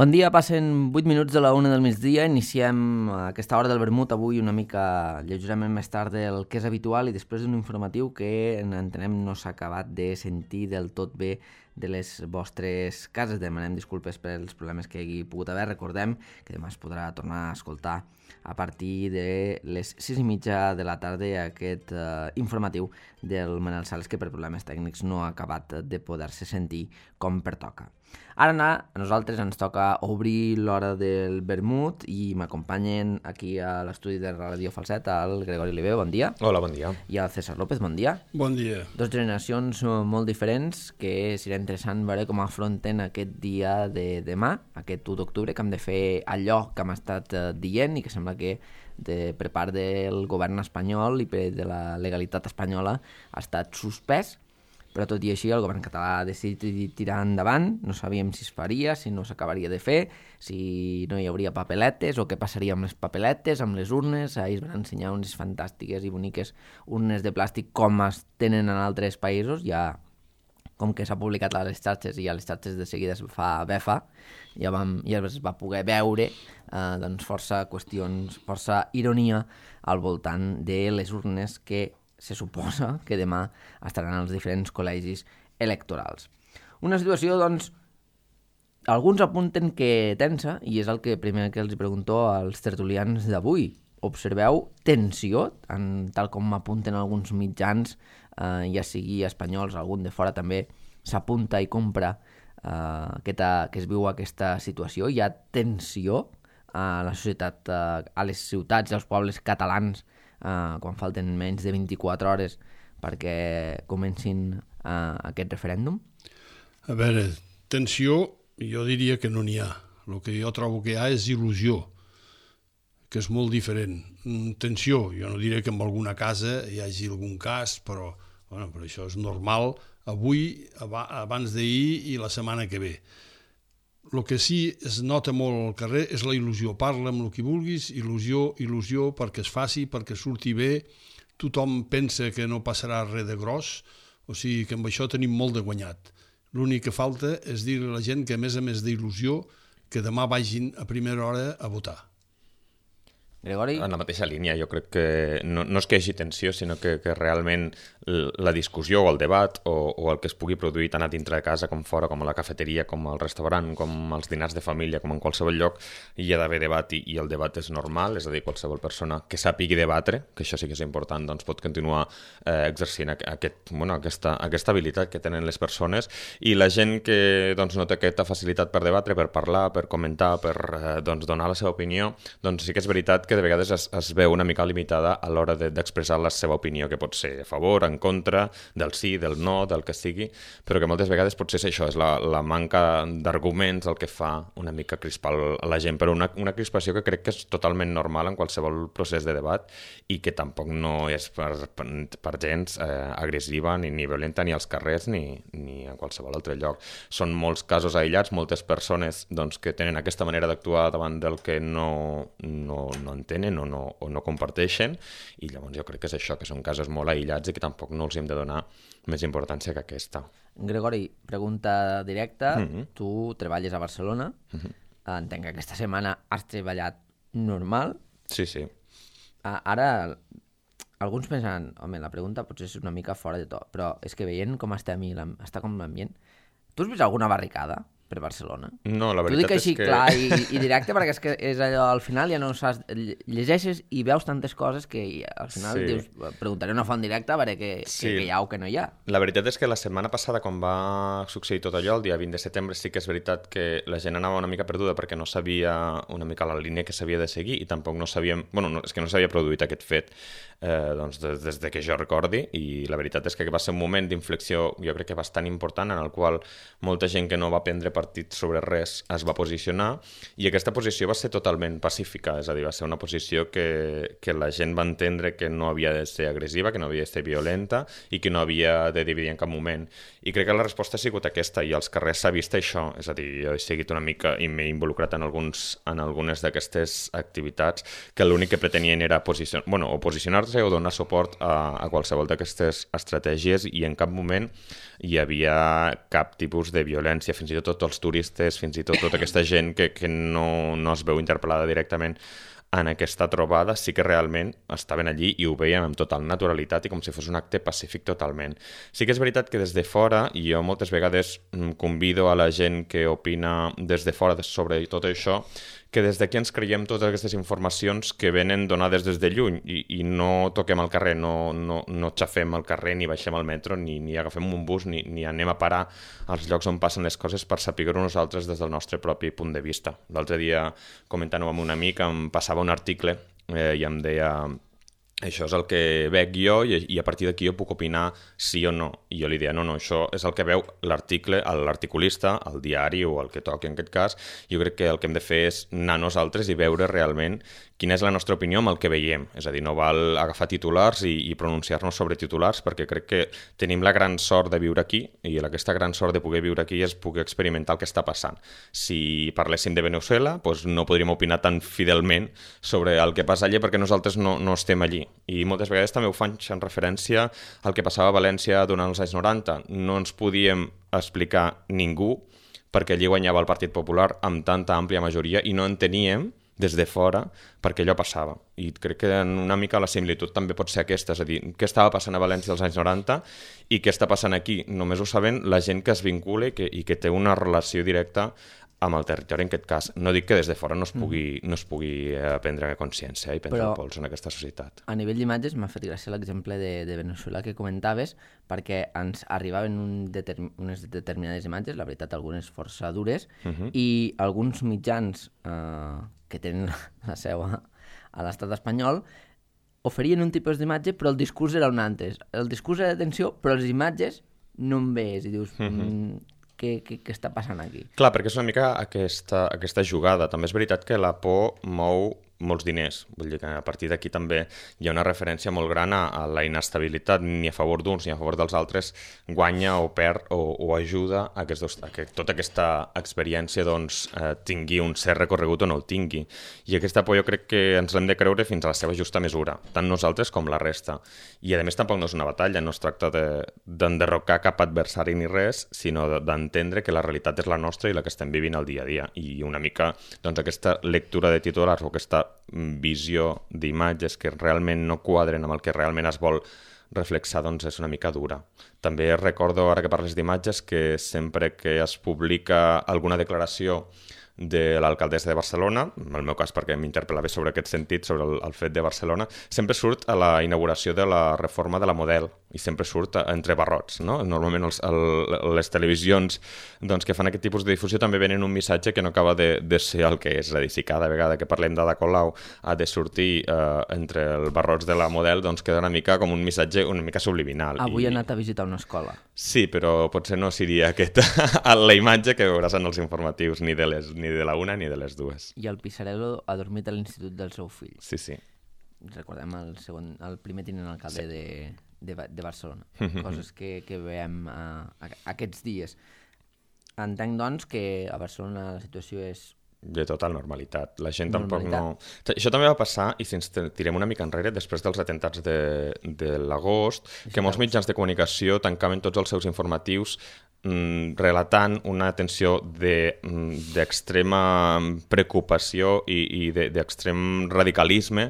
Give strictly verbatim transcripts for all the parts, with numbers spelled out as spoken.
Bon dia, passen vuit minuts de la una del migdia, iniciem aquesta hora del vermut avui una mica lleugerament més tard del que és habitual i després d'un informatiu que entenem no s'ha acabat de sentir del tot bé de les vostres cases. Demanem disculpes pels problemes que hi hagi pogut haver. Recordem que demà es podrà tornar a escoltar a partir de les sis i mitja de la tarda aquest uh, informatiu del Manel Sales, que per problemes tècnics no ha acabat de poder-se sentir com pertoca. Ara a nosaltres ens toca obrir l'hora del vermut i m'acompanyen aquí a l'estudi de Ràdio Falset el Gregori Oliver, bon dia. Hola, bon dia. I el César López, bon dia. Bon dia. Dos generacions molt diferents que serà interessant veure com afronten aquest dia de demà, aquest u d'octubre, que hem de fer allò que hem estat dient i que sembla que de, per part del govern espanyol i per de la legalitat espanyola ha estat suspès. Però tot i així el govern català ha decidit tirar endavant, no sabíem si es faria, si no s'acabaria de fer, si no hi hauria papeletes o què passaria amb les papeletes, amb les urnes. Ahir es van ensenyar unes fantàstiques i boniques urnes de plàstic com es tenen en altres països, ja com que s'ha publicat a les xarxes i a les xarxes de seguida es fa befa, ja, vam, ja es va poder veure eh, doncs força qüestions, força ironia al voltant de les urnes que se suposa que demà estaran als diferents col·legis electorals. Una situació, doncs, alguns apunten que tensa, i és el que primer que els pregunto als tertulians d'avui. Observeu tensió, en, tal com apunten alguns mitjans, eh, ja sigui espanyols, algun de fora també s'apunta i compra eh, aquesta, que es viu aquesta situació. Hi ha tensió a la societat, eh, a les ciutats i als pobles catalans, Uh, quan falten menys de vint-i-quatre hores perquè comencin uh, aquest referèndum? A veure, tensió, jo diria que no n'hi ha. El que jo trobo que hi ha és il·lusió, que és molt diferent. Tensió, jo no diré que en alguna casa hi hagi algun cas, però, bueno, però això és normal avui, abans d'ahir i la setmana que ve. El que sí es nota molt al carrer és la il·lusió. Parla amb el que vulguis, il·lusió, il·lusió, perquè es faci, perquè surti bé. Tothom pensa que no passarà res de gros, o sigui que amb això tenim molt de guanyat. L'únic que falta és dir a la gent que, a més a més d'il·lusió, que demà vagin a primera hora a votar. Gregori? En la mateixa línia, jo crec que no, no és que hi hagi tensió, sinó que, que realment la discussió o el debat o, o el que es pugui produir tant a dintre de casa com fora, com a la cafeteria, com al restaurant, com als dinars de família, com en qualsevol lloc, hi ha d'haver debat i, i el debat és normal, és a dir, qualsevol persona que sàpigui debatre, que això sí que és important, doncs pot continuar eh, exercint aquest, bueno, aquesta, aquesta habilitat que tenen les persones, i la gent que doncs, no té aquesta facilitat per debatre, per parlar, per comentar, per eh, doncs, donar la seva opinió, doncs sí que és veritat que que de vegades es, es veu una mica limitada a l'hora de, d'expressar la seva opinió, que pot ser a favor, en contra, del sí, del no, del que sigui, però que moltes vegades potser és això, és la, la manca d'arguments el que fa una mica crispar la gent, però una, una crispació que crec que és totalment normal en qualsevol procés de debat i que tampoc no és per, per, per gens eh, agressiva ni, ni violenta ni als carrers ni, ni a qualsevol altre lloc. Són molts casos aïllats, moltes persones doncs, que tenen aquesta manera d'actuar davant del que no, no, no tenen o no, o no comparteixen, i llavors jo crec que és això, que són casos molt aïllats i que tampoc no els hem de donar més importància que aquesta. Gregori, pregunta directa. Mm-hmm. Tu treballes a Barcelona. Mm-hmm. Entenc que aquesta setmana has treballat normal. Sí, sí. Ara, alguns pensen, home, la pregunta potser és una mica fora de to, però és que veient com estem i està com l'ambient, tu has vist alguna barricada per Barcelona? No, la veritat és que... és que... clar i, i directe, perquè és que és allò, al final ja no saps, llegeixes i veus tantes coses que al final sí. dius, preguntaré una font directa a veure què, sí. què hi ha o què no hi ha. La veritat és que la setmana passada, quan va succeir tot allò, el dia vint de setembre, sí que és veritat que la gent anava una mica perduda perquè no sabia una mica la línia que s'havia de seguir i tampoc no sabíem... Bueno, no, és que no s'havia produït aquest fet eh, doncs des, des de que jo recordi, i la veritat és que va ser un moment d'inflexió, jo crec que bastant important, en el qual molta gent que no va prendre partit sobre res es va posicionar, i aquesta posició va ser totalment pacífica, és a dir, va ser una posició que, que la gent va entendre que no havia de ser agressiva, que no havia de ser violenta i que no havia de dividir en cap moment. I crec que la resposta ha sigut aquesta, i als carrers s'ha vist això, és a dir, jo he seguit una mica i m'he involucrat en, alguns, en algunes d'aquestes activitats que l'únic que pretenien era posicionar, bueno, o posicionar-se o donar suport a, a qualsevol d'aquestes estratègies, i en cap moment hi havia cap tipus de violència. Fins i tot tots els turistes, fins i tot tota aquesta gent que, que no, no es veu interpel·lada directament en aquesta trobada, sí que realment estaven allí i ho veiem amb total naturalitat i com si fos un acte pacífic totalment. Sí que és veritat que des de fora, i jo moltes vegades convido a la gent que opina des de fora sobre tot això, que des d'aquí ens creiem totes aquestes informacions que venen donades des de lluny i, i no toquem al carrer, no, no, no xafem al carrer, ni baixem al metro, ni, ni agafem un bus, ni, ni anem a parar als llocs on passen les coses per saber-ho nosaltres des del nostre propi punt de vista. L'altre dia, comentant-ho amb un amic, em passava un article eh, i em deia... Això és el que veig jo i, i a partir d'aquí jo puc opinar sí o no. I jo li deia, no, no, això és el que veu l'article, l'articulista, el diari o el que toqui en aquest cas. Jo crec que el que hem de fer és anar nosaltres i veure realment quina és la nostra opinió amb el que veiem. És a dir, no val agafar titulars i, i pronunciar-nos sobre titulars perquè crec que tenim la gran sort de viure aquí i aquesta gran sort de poder viure aquí és poder experimentar el que està passant. Si parléssim de Venezuela, doncs no podríem opinar tan fidelment sobre el que passa allà perquè nosaltres no, no estem allí. I moltes vegades també ho fan en referència al que passava a València durant els anys noranta. No ens podíem explicar ningú perquè allí guanyava el Partit Popular amb tanta àmplia majoria i no en teníem des de fora perquè allò passava. I crec que una mica la similitud també pot ser aquesta, és a dir, què estava passant a València als anys noranta i què està passant aquí. Només ho saben la gent que es vincula i que, i que té una relació directa amb el territori en aquest cas. No dic que des de fora no es pugui, mm. no es pugui eh, prendre consciència i prendre Però, el pols en aquesta societat. A nivell d'imatges m'ha fet gràcia l'exemple de, de Venezuela que comentaves, perquè ens arribaven un determ unes determinades imatges, la veritat algunes força dures, uh -huh. i alguns mitjans eh, que tenen la seu a, a l'estat espanyol oferien un tipus d'imatge però el discurs era un altre. El discurs era d'atenció però les imatges no en veus i dius... Uh -huh. mm, Què, què, què està passant aquí? Clar, perquè és una mica aquesta, aquesta jugada. També és veritat que la por mou molts diners. Vull dir que a partir d'aquí també hi ha una referència molt gran a, a la inestabilitat, ni a favor d'uns ni a favor dels altres guanya o perd o, o ajuda a, dos, a que tota aquesta experiència doncs, eh, tingui un cert recorregut o no el tingui. I aquesta por jo crec que ens l'hem de creure fins a la seva justa mesura, tant nosaltres com la resta. I a més tampoc no és una batalla, no es tracta d'enderrocar cap adversari ni res, sinó d'entendre que la realitat és la nostra i la que estem vivint al dia a dia. I una mica doncs, aquesta lectura de titulars o aquesta visió d'imatges que realment no quadren amb el que realment es vol reflexar, doncs és una mica dura. També recordo, ara que parles d'imatges, que sempre que es publica alguna declaració de l'alcaldessa de Barcelona, en el meu cas perquè m'interpel·lava sobre aquest sentit, sobre el, el fet de Barcelona, sempre surt a la inauguració de la reforma de la Model i sempre surt entre barrots, no? Normalment els, el, les televisions doncs, que fan aquest tipus de difusió també venen un missatge que no acaba de, de ser el que és. És a dir, si cada vegada que parlem d'Ada Colau ha de sortir eh, entre els barrots de la Model, doncs queda una mica com un missatge una mica subliminal. Avui I... he anat a visitar una escola. Sí, però potser no seria aquesta la imatge que veuràs en els informatius, ni de les ni de la una ni de les dues. I el Pisarello ha dormit a l'institut del seu fill. Sí, sí. Recordem el, segon, el primer tinent alcalde sí. de, de, de Barcelona. Coses que, que veiem uh, aquests dies. Entenc, doncs, que a Barcelona la situació és... de total normalitat. La gent normalitat. tampoc no... Això també va passar, i si ens tirem una mica enrere, després dels atentats de, de l'agost, que molts mitjans de comunicació tancaven tots els seus informatius mm, relatant una tensió d'extrema de, mm, preocupació i, i d'extrem de, radicalisme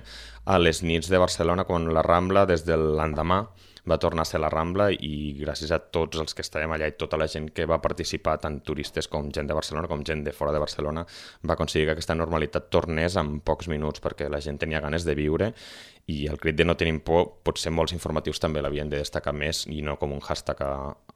a les nits de Barcelona, quan la Rambla, des de l'endemà, va tornar a ser la Rambla, i gràcies a tots els que estàvem allà i tota la gent que va participar, tant turistes com gent de Barcelona com gent de fora de Barcelona, va aconseguir que aquesta normalitat tornés en pocs minuts perquè la gent tenia ganes de viure, i el crit de no tenim por, potser molts informatius també l'havien de destacar més i no com un hashtag a,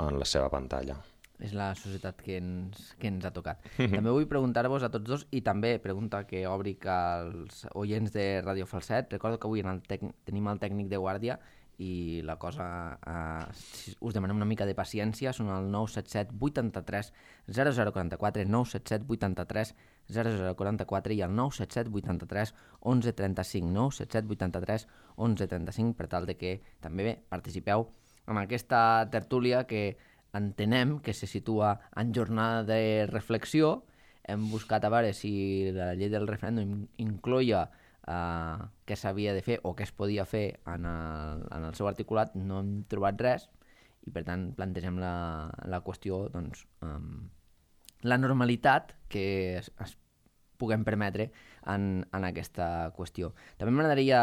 en la seva pantalla. És la societat que ens, que ens ha tocat. També vull preguntar-vos a tots dos, i també pregunta que obric als oients de Ràdio Falset. Recordo que avui en el tec... tenim el tècnic de guàrdia i la cosa, eh, si us demanem una mica de paciència, són el nou set set vuit tres zero zero quatre quatre, nou set set vuit tres zero zero quatre quatre i el nou set set vuit tres onze trenta cinc, nou set set vuit tres onze trenta cinc, per tal de que també bé, participeu en aquesta tertúlia que entenem que se situa en jornada de reflexió. Hem buscat a veure si la llei del referèndum incloïa Uh, què s'havia de fer o què es podia fer en el, en el seu articulat. No hem trobat res i per tant plantegem la, la qüestió doncs, um, la normalitat que es, es puguem permetre en, en aquesta qüestió. També m'agradaria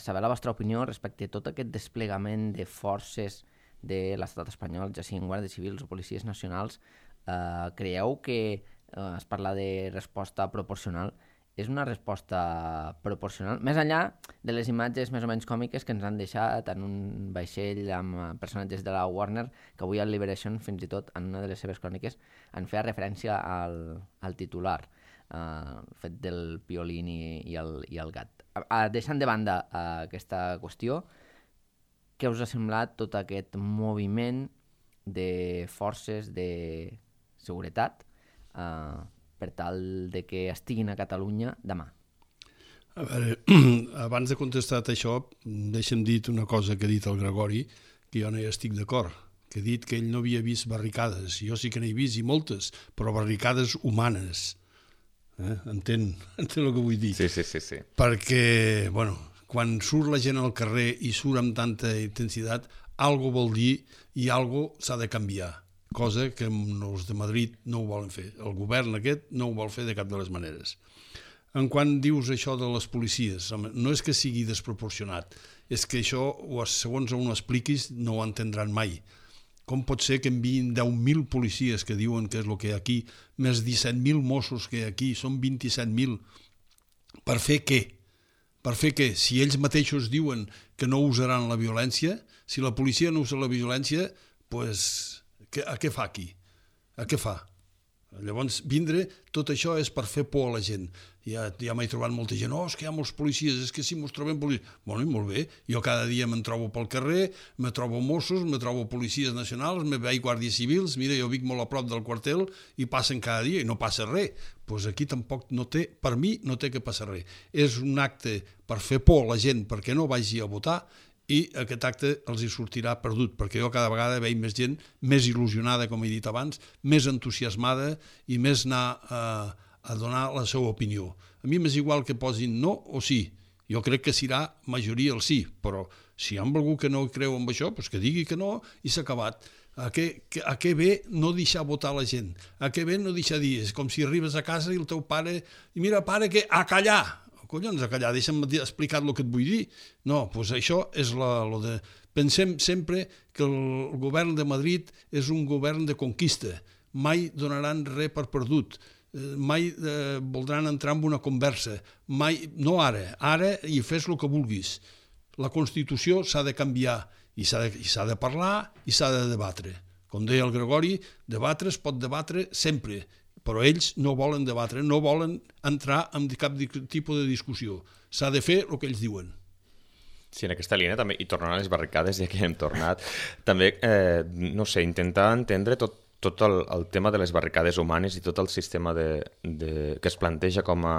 saber la vostra opinió respecte a tot aquest desplegament de forces de l'estat espanyol, ja siguin guàrdies civils o policies nacionals. Eh, creieu que eh, es parla de resposta proporcional? És una resposta proporcional? Més enllà de les imatges més o menys còmiques que ens han deixat en un vaixell amb personatges de la Warner, que avui al Liberation, fins i tot, en una de les seves cròniques, en feia referència al, al titular, eh, el fet del piolín i, i, el, i el gat. Eh, deixant de banda eh, aquesta qüestió, què us ha semblat tot aquest moviment de forces de seguretat eh, per tal de que estiguin a Catalunya demà? A veure, abans de contestar això, deixa'm dir una cosa que ha dit el Gregori, que jo no hi estic d'acord, que ha dit que ell no havia vist barricades. Jo sí que n'he vist, i moltes, però barricades humanes. Eh? Entén, entén el que vull dir? Sí, sí, sí, sí. Perquè, bueno, quan surt la gent al carrer i surt amb tanta intensitat, algo vol dir i algo s'ha de canviar. Cosa que els de Madrid no ho volen fer. El govern aquest no ho vol fer de cap de les maneres. En quan dius això de les policies, no és que sigui desproporcionat, és que això, segons on ho expliquis, no ho entendran mai. Com pot ser que enviïn deu mil policies que diuen que és el que hi ha aquí, més disset mil Mossos que hi ha aquí, són vint-i-set mil, per fer què? Per fer què? Si ells mateixos diuen que no usaran la violència, si la policia no usa la violència, doncs... a què fa aquí? A què fa? Llavors, vindre, tot això és per fer por a la gent. Ja, ja m'he trobat molta gent, oh, és que hi ha molts policies, és que si mos trobem policies... Bueno, i molt bé, jo cada dia me'n trobo pel carrer, me trobo Mossos, me trobo policies nacionals, me veig guàrdies civils, mira, jo vic molt a prop del quartel i passen cada dia i no passa res. Doncs aquí tampoc no té, per mi, no té que passar res. És un acte per fer por a la gent perquè no vagi a votar, i aquest acte els hi sortirà perdut, perquè jo cada vegada veig més gent més il·lusionada, com he dit abans, més entusiasmada i més anar a, a donar la seva opinió. A mi m'és igual que posin no o sí. Jo crec que serà majoria el sí, però si hi ha algú que no creu en això, doncs que digui que no i s'ha acabat. A què, a què ve no deixar votar la gent? A què ve no deixar dir? És com si arribes a casa i el teu pare... I mira, pare, que a callar! Collons, a callar, deixa'm explicar el que et vull dir. No, doncs això és la, lo de... Pensem sempre que el govern de Madrid és un govern de conquista. Mai donaran res per perdut. Mai eh, voldran entrar en una conversa. Mai, no ara, ara i fes el que vulguis. La Constitució s'ha de canviar i s'ha de, i s'ha de parlar i s'ha de debatre. Com deia el Gregori, debatre es pot debatre sempre, però ells no volen debatre, no volen entrar en cap tipus de discussió. S'ha de fer el que ells diuen. Sí, en aquesta línia també, i tornant a les barricades, ja que hem tornat, també, eh, no sé, intentar entendre tot, tot el, el tema de les barricades humanes i tot el sistema de, de, que es planteja com a,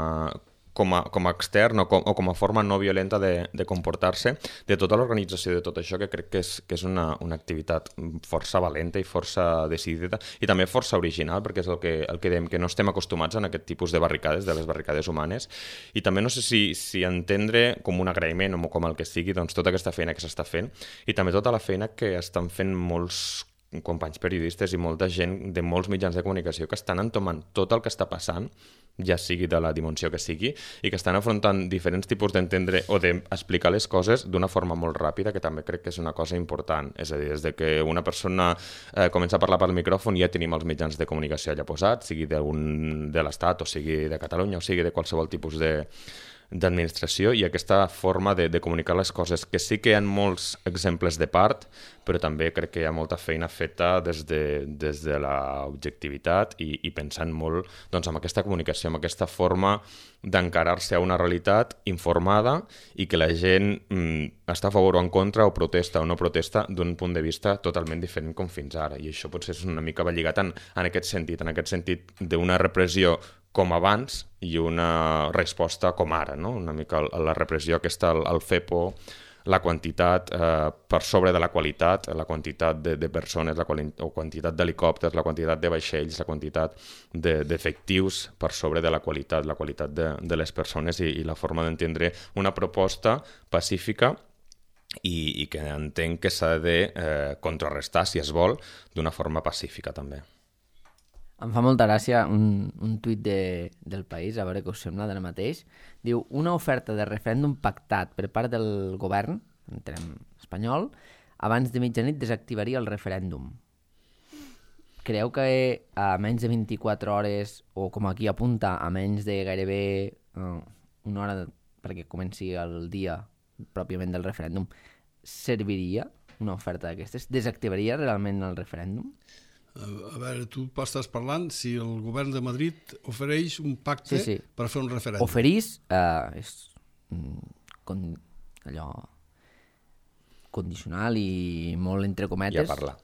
com a, com a extern o com, o com a forma no violenta de, de comportar-se, de tota l'organització de tot això, que crec que és, que és una, una activitat força valenta i força decidida i també força original, perquè és el que, el que dèiem, que no estem acostumats a aquest tipus de barricades, de les barricades humanes, i també no sé si, si entendre com un agraïment o com el que sigui, doncs tota aquesta feina que s'està fent i també tota la feina que estan fent molts companys periodistes i molta gent de molts mitjans de comunicació que estan entomant tot el que està passant, ja sigui de la dimensió que sigui, i que estan afrontant diferents tipus d'entendre o d'explicar les coses d'una forma molt ràpida, que també crec que és una cosa important. És a dir, des de que una persona eh, comença a parlar pel micròfon ja tenim els mitjans de comunicació allà posats, sigui d'un de l'Estat o sigui de Catalunya o sigui de qualsevol tipus de d'administració, i aquesta forma de, de comunicar les coses, que sí que hi ha molts exemples de part, però també crec que hi ha molta feina feta des de, des de l'objectivitat i, i pensant molt doncs, en aquesta comunicació, en aquesta forma d'encarar-se a una realitat informada i que la gent mm, està a favor o en contra o protesta o no protesta d'un punt de vista totalment diferent com fins ara, i això potser és una mica lligat en, en aquest sentit, en aquest sentit d'una repressió com abans i una resposta com ara, no? Una mica la repressió aquesta, el, el fer por, la quantitat eh, per sobre de la qualitat, la quantitat de, de persones, la quali o quantitat d'helicòpters, la quantitat de vaixells, la quantitat d'efectius de, per sobre de la qualitat, la qualitat de, de les persones i, i la forma d'entendre una proposta pacífica i, i que entenc que s'ha de eh, contrarrestar, si es vol, d'una forma pacífica també. Em fa molta gràcia un, un tuit de, del País, a veure què us sembla d'ara mateix. Diu, una oferta de referèndum pactat per part del govern, entenem espanyol, abans de mitjanit desactivaria el referèndum. Creieu que a menys de vint-i-quatre hores, o com aquí apunta, a menys de gairebé uh, una hora perquè comenci el dia pròpiament del referèndum, serviria una oferta d'aquestes? Desactivaria realment el referèndum? A veure, tu estàs parlant si el govern de Madrid ofereix un pacte sí, sí. per fer un referèndum. Oferís, uh, és con, allò condicional i molt entre cometes. Ja parla.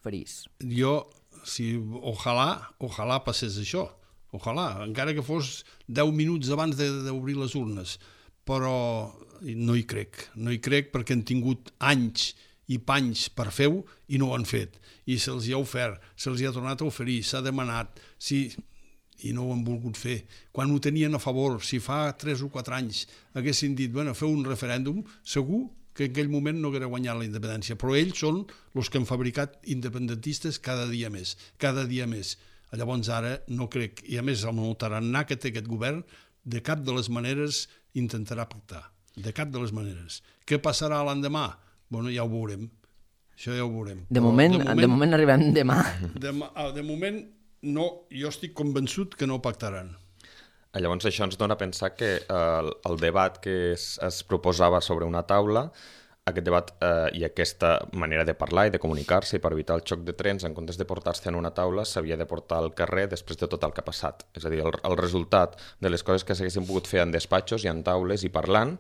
Oferís. Jo, si ojalà, ojalà passés això. Ojalà, encara que fos deu minuts abans d'obrir les urnes. Però no hi crec. No hi crec perquè han tingut anys i panys per fer-ho i no ho han fet. I se'ls hi ha ofert, se'ls hi ha tornat a oferir, s'ha demanat, sí, i no ho han volgut fer. Quan ho tenien a favor, si fa tres o quatre anys haguessin dit, bueno, feu un referèndum, segur que en aquell moment no haguera guanyat la independència. Però ells són els que han fabricat independentistes cada dia més, cada dia més. Llavors ara no crec, i a més amb el tarannà que té aquest govern, de cap de les maneres intentarà pactar. De cap de les maneres. Què passarà l'endemà? Bueno, ja ho veurem. Això ja ho veurem. De moment, de moment, de moment arribem demà. De, de moment, no, jo estic convençut que no pactaran. Llavors això ens dona a pensar que eh, el debat que es, es proposava sobre una taula, aquest debat eh, i aquesta manera de parlar i de comunicar-se i per evitar el xoc de trens, en comptes de portar-se en una taula, s'havia de portar al carrer després de tot el que ha passat. És a dir, el, el resultat de les coses que s'haguessin pogut fer en despatxos i en taules i parlant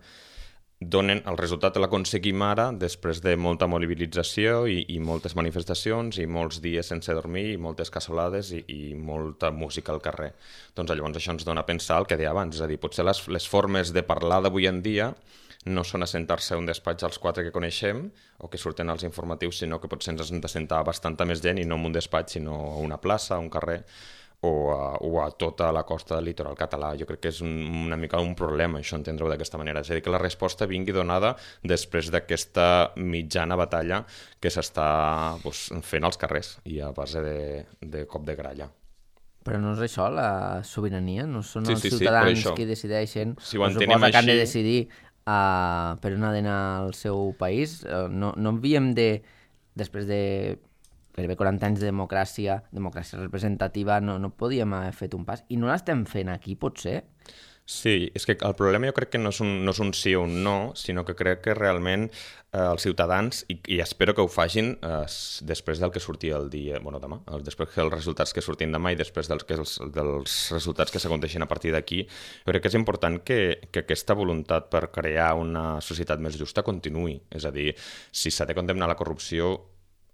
donen el resultat de l'aconseguim ara després de molta mobilització i, i moltes manifestacions i molts dies sense dormir i moltes cassolades i, i molta música al carrer. Doncs llavors això ens dona a pensar el que deia abans, és a dir, potser les, les formes de parlar d'avui en dia no són assentar-se a un despatx als quatre que coneixem o que surten als informatius, sinó que potser ens hem de sentar bastanta més gent i no en un despatx, sinó a una plaça, a un carrer o a, o a tota la costa del litoral català. Jo crec que és un, una mica un problema això, entendre-ho d'aquesta manera. És a dir, que la resposta vingui donada després d'aquesta mitjana batalla que s'està doncs, fent als carrers i a base de, de cop de gralla. Però no és això la sobirania? No són sí, els sí, ciutadans sí, qui decideixen? Si ho entenem així... que han de decidir uh, per on ha d'anar al seu país? Uh, no, no havíem de, després de gairebé quaranta anys de democràcia, democràcia representativa, no, no podíem haver fet un pas. I no l'estem fent aquí, potser? Sí, és que el problema jo crec que no és un, no és un sí o un no, sinó que crec que realment eh, els ciutadans, i, i espero que ho facin eh, després del que surti el dia, bueno, demà, després dels resultats que surtin demà i després dels, que els, dels resultats que s'aconteixin a partir d'aquí, jo crec que és important que, que aquesta voluntat per crear una societat més justa continuï. És a dir, si s'ha de condemnar la corrupció,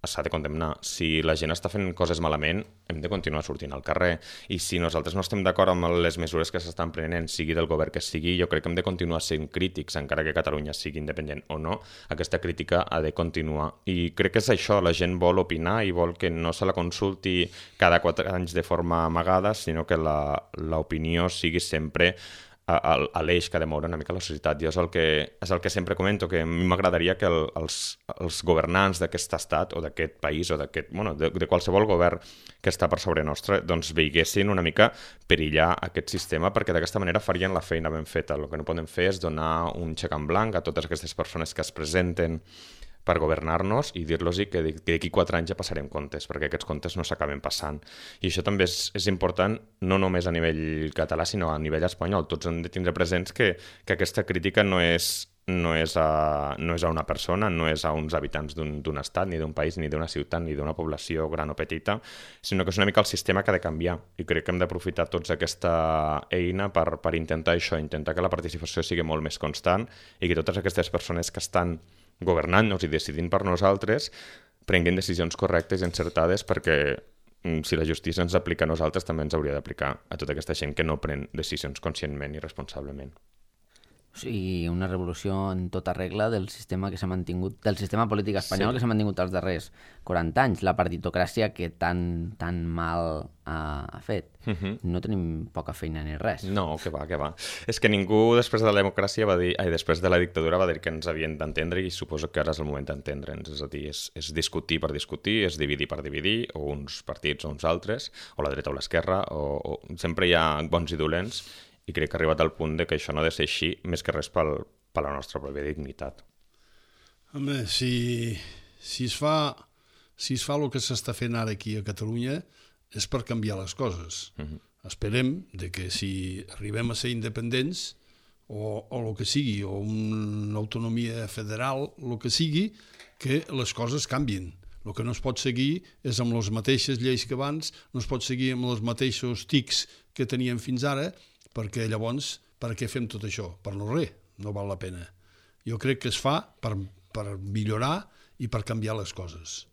s'ha de condemnar. Si la gent està fent coses malament, hem de continuar sortint al carrer. I si nosaltres no estem d'acord amb les mesures que s'estan prenent, sigui del govern que sigui, jo crec que hem de continuar sent crítics, encara que Catalunya sigui independent o no. Aquesta crítica ha de continuar. I crec que és això, la gent vol opinar i vol que no se la consulti cada quatre anys de forma amagada, sinó que l'opinió sigui sempre a, a l'eix que ha de moure una mica la societat. Jo és el que, és el que sempre comento, que a mi m'agradaria que el, els, els governants d'aquest estat o d'aquest país o d'aquest, bueno, de, de qualsevol govern que està per sobre nostre, doncs veiguessin una mica perillar aquest sistema, perquè d'aquesta manera farien la feina ben feta. El que no podem fer és donar un xec en blanc a totes aquestes persones que es presenten per governar-nos i dir-los que d'aquí quatre anys ja passarem comptes, perquè aquests comptes no s'acaben passant. I això també és, és important no només a nivell català, sinó a nivell espanyol. Tots hem de tindre presents que, que aquesta crítica no és, no, és a, no és a una persona, no és a uns habitants d'un estat, ni d'un país, ni d'una ciutat, ni d'una població gran o petita, sinó que és una mica el sistema que ha de canviar. I crec que hem d'aprofitar tots aquesta eina per, per intentar això, intentar que la participació sigui molt més constant i que totes aquestes persones que estan governant-nos i decidint per nosaltres prenguin decisions correctes i encertades, perquè si la justícia ens aplica a nosaltres també ens hauria d'aplicar a tota aquesta gent que no pren decisions conscientment i responsablement. O sigui, una revolució en tota regla del sistema que s'ha mantingut, del sistema polític espanyol sí. que s'ha mantingut els darrers quaranta anys, la partitocràcia que tan, tan mal ha, ha fet. Uh-huh. No tenim poca feina ni res. No, que va, que va. És que ningú després de la democràcia va dir, ai, després de la dictadura va dir que ens havien d'entendre i suposo que ara és el moment d'entendre'ns. És a dir, és, és discutir per discutir, és dividir per dividir, o uns partits o uns altres, o la dreta o l'esquerra, o, o sempre hi ha bons i dolents, i crec que ha arribat al punt de que això no ha de ser així, més que res pel, per la nostra pròpia dignitat. Home, si, si, es fa, si es fa el que s'està fent ara aquí a Catalunya és per canviar les coses. Uh-huh. Esperem de que si arribem a ser independents o, o el que sigui, o una autonomia federal, el que sigui, que les coses canvien. El que no es pot seguir és amb les mateixes lleis que abans, no es pot seguir amb els mateixos tics que teníem fins ara, perquè llavors, per què fem tot això? Per no res, no val la pena. Jo crec que es fa per, per millorar i per canviar les coses.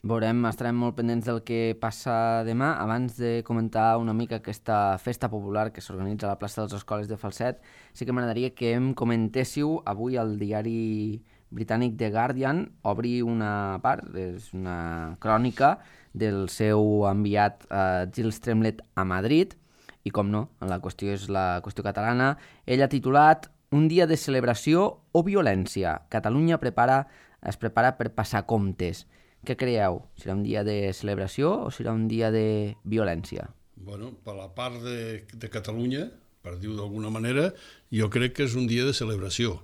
Veurem, estarem molt pendents del que passa demà. Abans de comentar una mica aquesta festa popular que s'organitza a la plaça dels Escoles de Falset, sí que m'agradaria que em comentéssiu avui al diari britànic The Guardian, obri una part, és una crònica del seu enviat eh, Gil Stremlet a Madrid, i com no, la qüestió és la qüestió catalana. Ell ha titulat Un dia de celebració o violència. Catalunya prepara, es prepara per passar comptes. Què creieu? Serà un dia de celebració o serà un dia de violència? Bueno, per la part de, de Catalunya, per dir-ho d'alguna manera, jo crec que és un dia de celebració.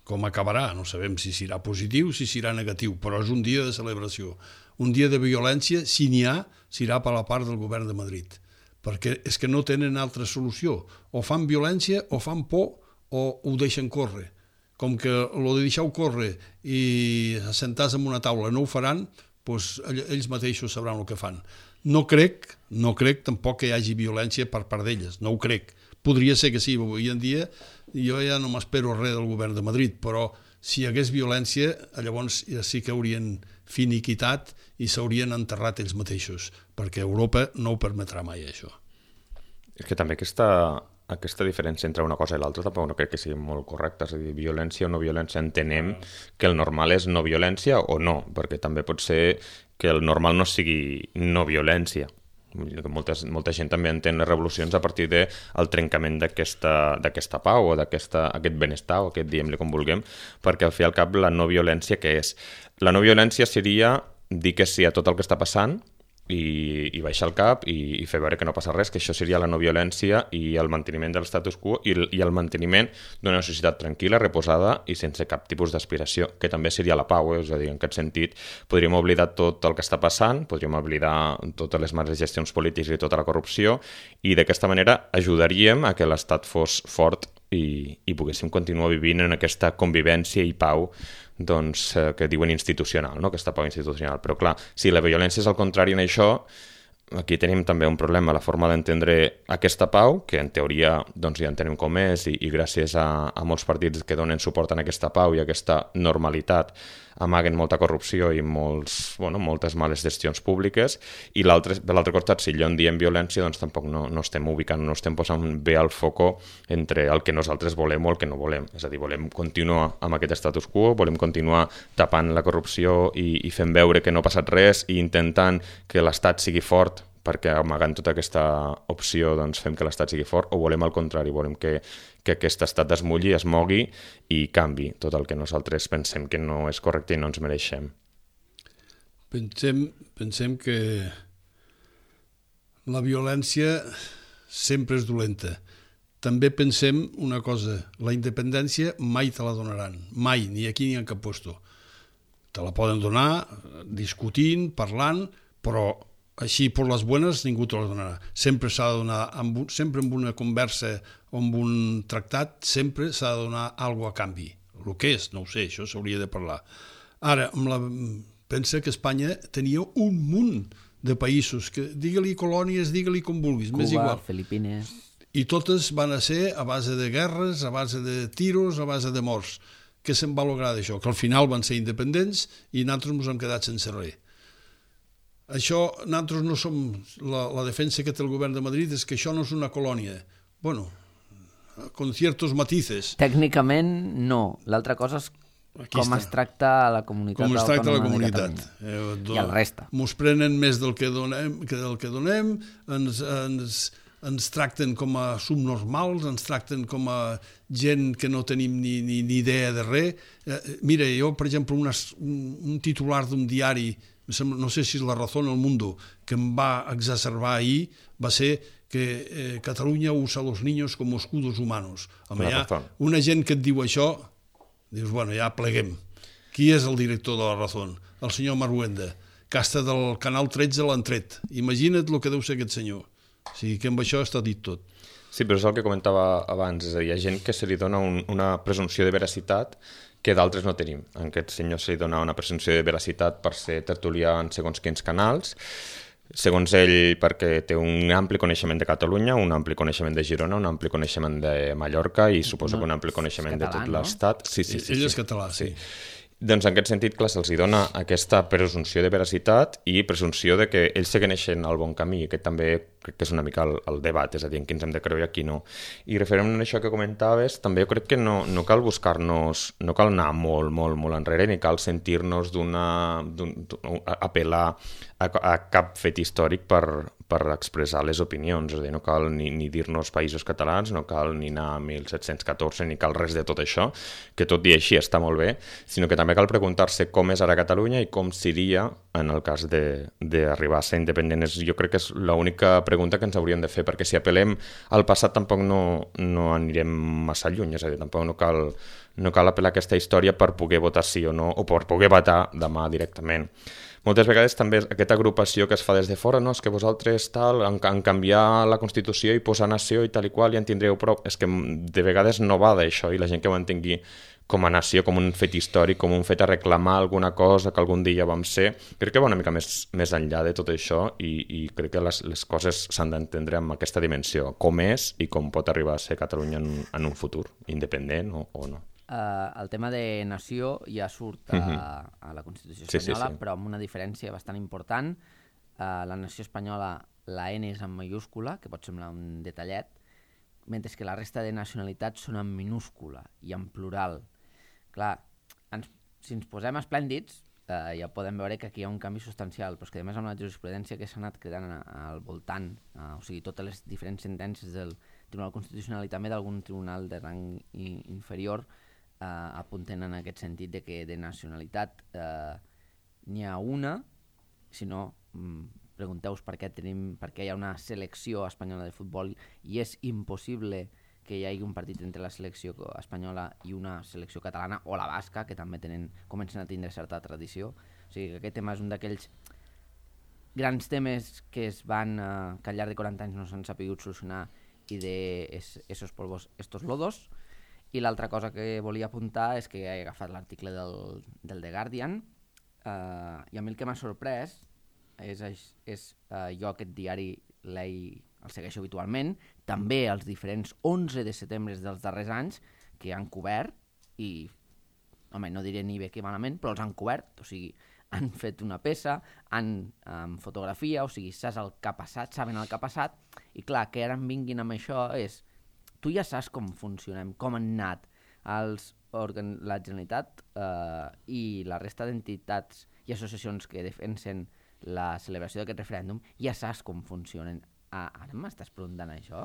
Com acabarà? No sabem si serà positiu o si serà negatiu, però és un dia de celebració. Un dia de violència, si n'hi ha, serà per la part del govern de Madrid. Perquè és que no tenen altra solució. O fan violència, o fan por, o ho deixen córrer. Com que el de deixar-ho córrer i assentar-se en una taula no ho faran, doncs ells mateixos sabran el que fan. No crec, no crec tampoc que hi hagi violència per part d'elles, no ho crec. Podria ser que sí, avui en dia jo ja no m'espero res del govern de Madrid, però si hi hagués violència, llavors ja sí que haurien finiquitat i s'haurien enterrat ells mateixos, perquè Europa no ho permetrà mai, això. És que també aquesta, aquesta diferència entre una cosa i l'altra tampoc no crec que sigui molt correcta, és a dir, violència o no violència, entenem que el normal és no violència o no, perquè també pot ser que el normal no sigui no violència. Molta, molta gent també entén les revolucions a partir del trencament d'aquesta, d'aquesta pau o d'aquest benestar, o aquest diem-li com vulguem, perquè al fi i al cap la no violència què és? La no violència seria dir que sí a tot el que està passant i, i baixar el cap i, i fer veure que no passa res, que això seria la no violència i el manteniment de l'estatus quo i, i el manteniment d'una societat tranquil·la, reposada i sense cap tipus d'aspiració, que també seria la pau, eh? És a dir, en aquest sentit podríem oblidar tot el que està passant, podríem oblidar totes les males gestions polítiques i tota la corrupció i d'aquesta manera ajudaríem a que l'estat fos fort i, i poguéssim continuar vivint en aquesta convivència i pau doncs, eh, que diuen institucional, no? Aquesta pau institucional. Però clar, si la violència és el contrari en això, aquí tenim també un problema, la forma d'entendre aquesta pau, que en teoria doncs, ja entenem com és i, i gràcies a, a molts partits que donen suport a aquesta pau i a aquesta normalitat amaguen molta corrupció i molts, bueno, moltes males gestions públiques, i l'altre, per l'altre costat, si allò en diem violència, doncs tampoc no, no estem ubicant, no estem posant bé al foco entre el que nosaltres volem o el que no volem. És a dir, volem continuar amb aquest status quo, volem continuar tapant la corrupció i, i fent veure que no ha passat res i intentant que l'estat sigui fort perquè amagant tota aquesta opció doncs, fem que l'estat sigui fort, o volem al contrari, volem que, que aquest estat es mulli, es mogui i canvi tot el que nosaltres pensem que no és correcte i no ens mereixem. Pensem, pensem que la violència sempre és dolenta. També pensem una cosa, la independència mai te la donaran, mai, ni aquí ni en cap puesto. Te la poden donar discutint, parlant, però així per les bones ningú te la donarà. Sempre s'ha de donar, amb un, sempre amb una conversa o amb un tractat, sempre s'ha de donar alguna cosa a canvi. El que és, no ho sé, això s'hauria de parlar. Ara, amb la, pensa que Espanya tenia un munt de països, que digue-li colònies, digue-li com vulguis, Cuba, m'és igual. Filipines... I totes van a ser a base de guerres, a base de tiros, a base de morts. Què se'n va lograr d'això? Que al final van ser independents i nosaltres ens hem quedat sense res. Això, nosaltres no som... La, la defensa que té el govern de Madrid és que això no és una colònia. Bueno, con ciertos matices. Tècnicament, no. L'altra cosa és Aquí com està. es tracta a la comunitat Com es tracta la autònoma de comunitat. Catalunya. Eh, do- I el resta. Mos prenen més del que donem, que del que donem, ens, ens, ens tracten com a subnormals, ens tracten com a gent que no tenim ni, ni, ni idea de res. Eh, mira, jo, per exemple, una, un, un titular d'un diari, no sé si és La Razón o El Mundo, que em va exacerbar ahir, va ser que eh, Catalunya usa los niños como escudos humanos. Home, La hi ha Razón. una gent que et diu això, dius, bueno, ja pleguem. Qui és el director de La Razón? El senyor Marhuenda, que hasta del Canal tretze l'han tret. Imagina't el que deu ser aquest senyor. O sigui que amb això està dit tot. Sí, però és el que comentava abans, és a dir, hi ha gent que se li dona un, una presumpció de veracitat que d'altres no tenim. A aquest senyor se li dona una presumpció de veracitat per ser tertulià en segons quins canals, segons ell perquè té un ampli coneixement de Catalunya, un ampli coneixement de Girona, un ampli coneixement de Mallorca i suposo No, que un ampli coneixement és de català, tot no? l'Estat. Sí, sí, sí, Ell sí. és català, sí. Doncs en aquest sentit, clar, se'ls dona aquesta presumpció de veracitat i presumpció de que ells segueixen el bon camí, que també crec que és una mica el, el debat, és a dir, en qui ens hem de creure i a qui no. I referent a això que comentaves, també jo crec que no, no cal buscar-nos, no cal anar molt, molt, molt enrere, ni cal sentir-nos d'una... apel·lar a, a cap fet històric per, per expressar les opinions, és a dir, no cal ni, ni dir-nos països catalans, no cal ni anar a mil set-cents catorze, ni cal res de tot això, que tot i així està molt bé, sinó que també cal preguntar-se com és ara Catalunya i com seria en el cas d'arribar a ser independent. És, jo crec que és l'única pregunta que ens hauríem de fer, perquè si apel·lem al passat tampoc no, no anirem massa lluny, és a dir, tampoc no cal, no cal apel·lar a aquesta història per poder votar sí o no, o per poder votar demà directament. Moltes vegades també aquesta agrupació que es fa des de fora, no, és que vosaltres tal, en, en canviar la Constitució i posar nació i tal i qual ja en tindreu prou, és que de vegades no va d'això i la gent que ho entengui com a nació, com un fet històric, com un fet a reclamar alguna cosa que algun dia vam ser, crec que va una mica més, més enllà de tot això i, i crec que les, les coses s'han d'entendre amb aquesta dimensió, com és i com pot arribar a ser Catalunya en, en un futur, independent o, o no. Uh, el tema de nació ja surt a, uh-huh. a la Constitució espanyola, sí, sí, sí. Però amb una diferència bastant important. Uh, la nació espanyola, la N és en mayúscula, que pot semblar un detallet, mentre que la resta de nacionalitats són en minúscula i en plural. Clar, ens, si ens posem esplèndids, uh, ja podem veure que aquí hi ha un canvi substancial, però és que a més amb la jurisprudència que s'ha anat quedant al voltant, uh, o sigui, totes les diferents sentències del Tribunal Constitucional i també d'algun tribunal de rang i, inferior Uh, apunten en aquest sentit de que de nacionalitat uh, n'hi ha una, si no, mm, pregunteu-vos per què tenim, per què hi ha una selecció espanyola de futbol i és impossible que hi hagi un partit entre la selecció espanyola i una selecció catalana o la basca, que també tenen, comencen a tindre certa tradició. O sigui que aquest tema és un d'aquells grans temes que es van, uh, que al llarg de quaranta anys no s'han sapigut solucionar i de es, esos polvos, estos lodos. I l'altra cosa que volia apuntar és que he agafat l'article del, del The Guardian uh, i a mi el que m'ha sorprès és, és uh, jo aquest diari el segueixo habitualment, també els diferents onze de setembre dels darrers anys que han cobert i, home, no diré ni bé que malament, però els han cobert, o sigui, han fet una peça, han um, fotografia, o sigui, saps el que ha passat, saben el que ha passat, i clar, que ara em vinguin amb això és... Tu ja saps com funcionem, com han anat els organ... la Generalitat eh, i la resta d'entitats i associacions que defensen la celebració d'aquest referèndum, ja saps com funcionen. Ah, ara m'estàs preguntant això?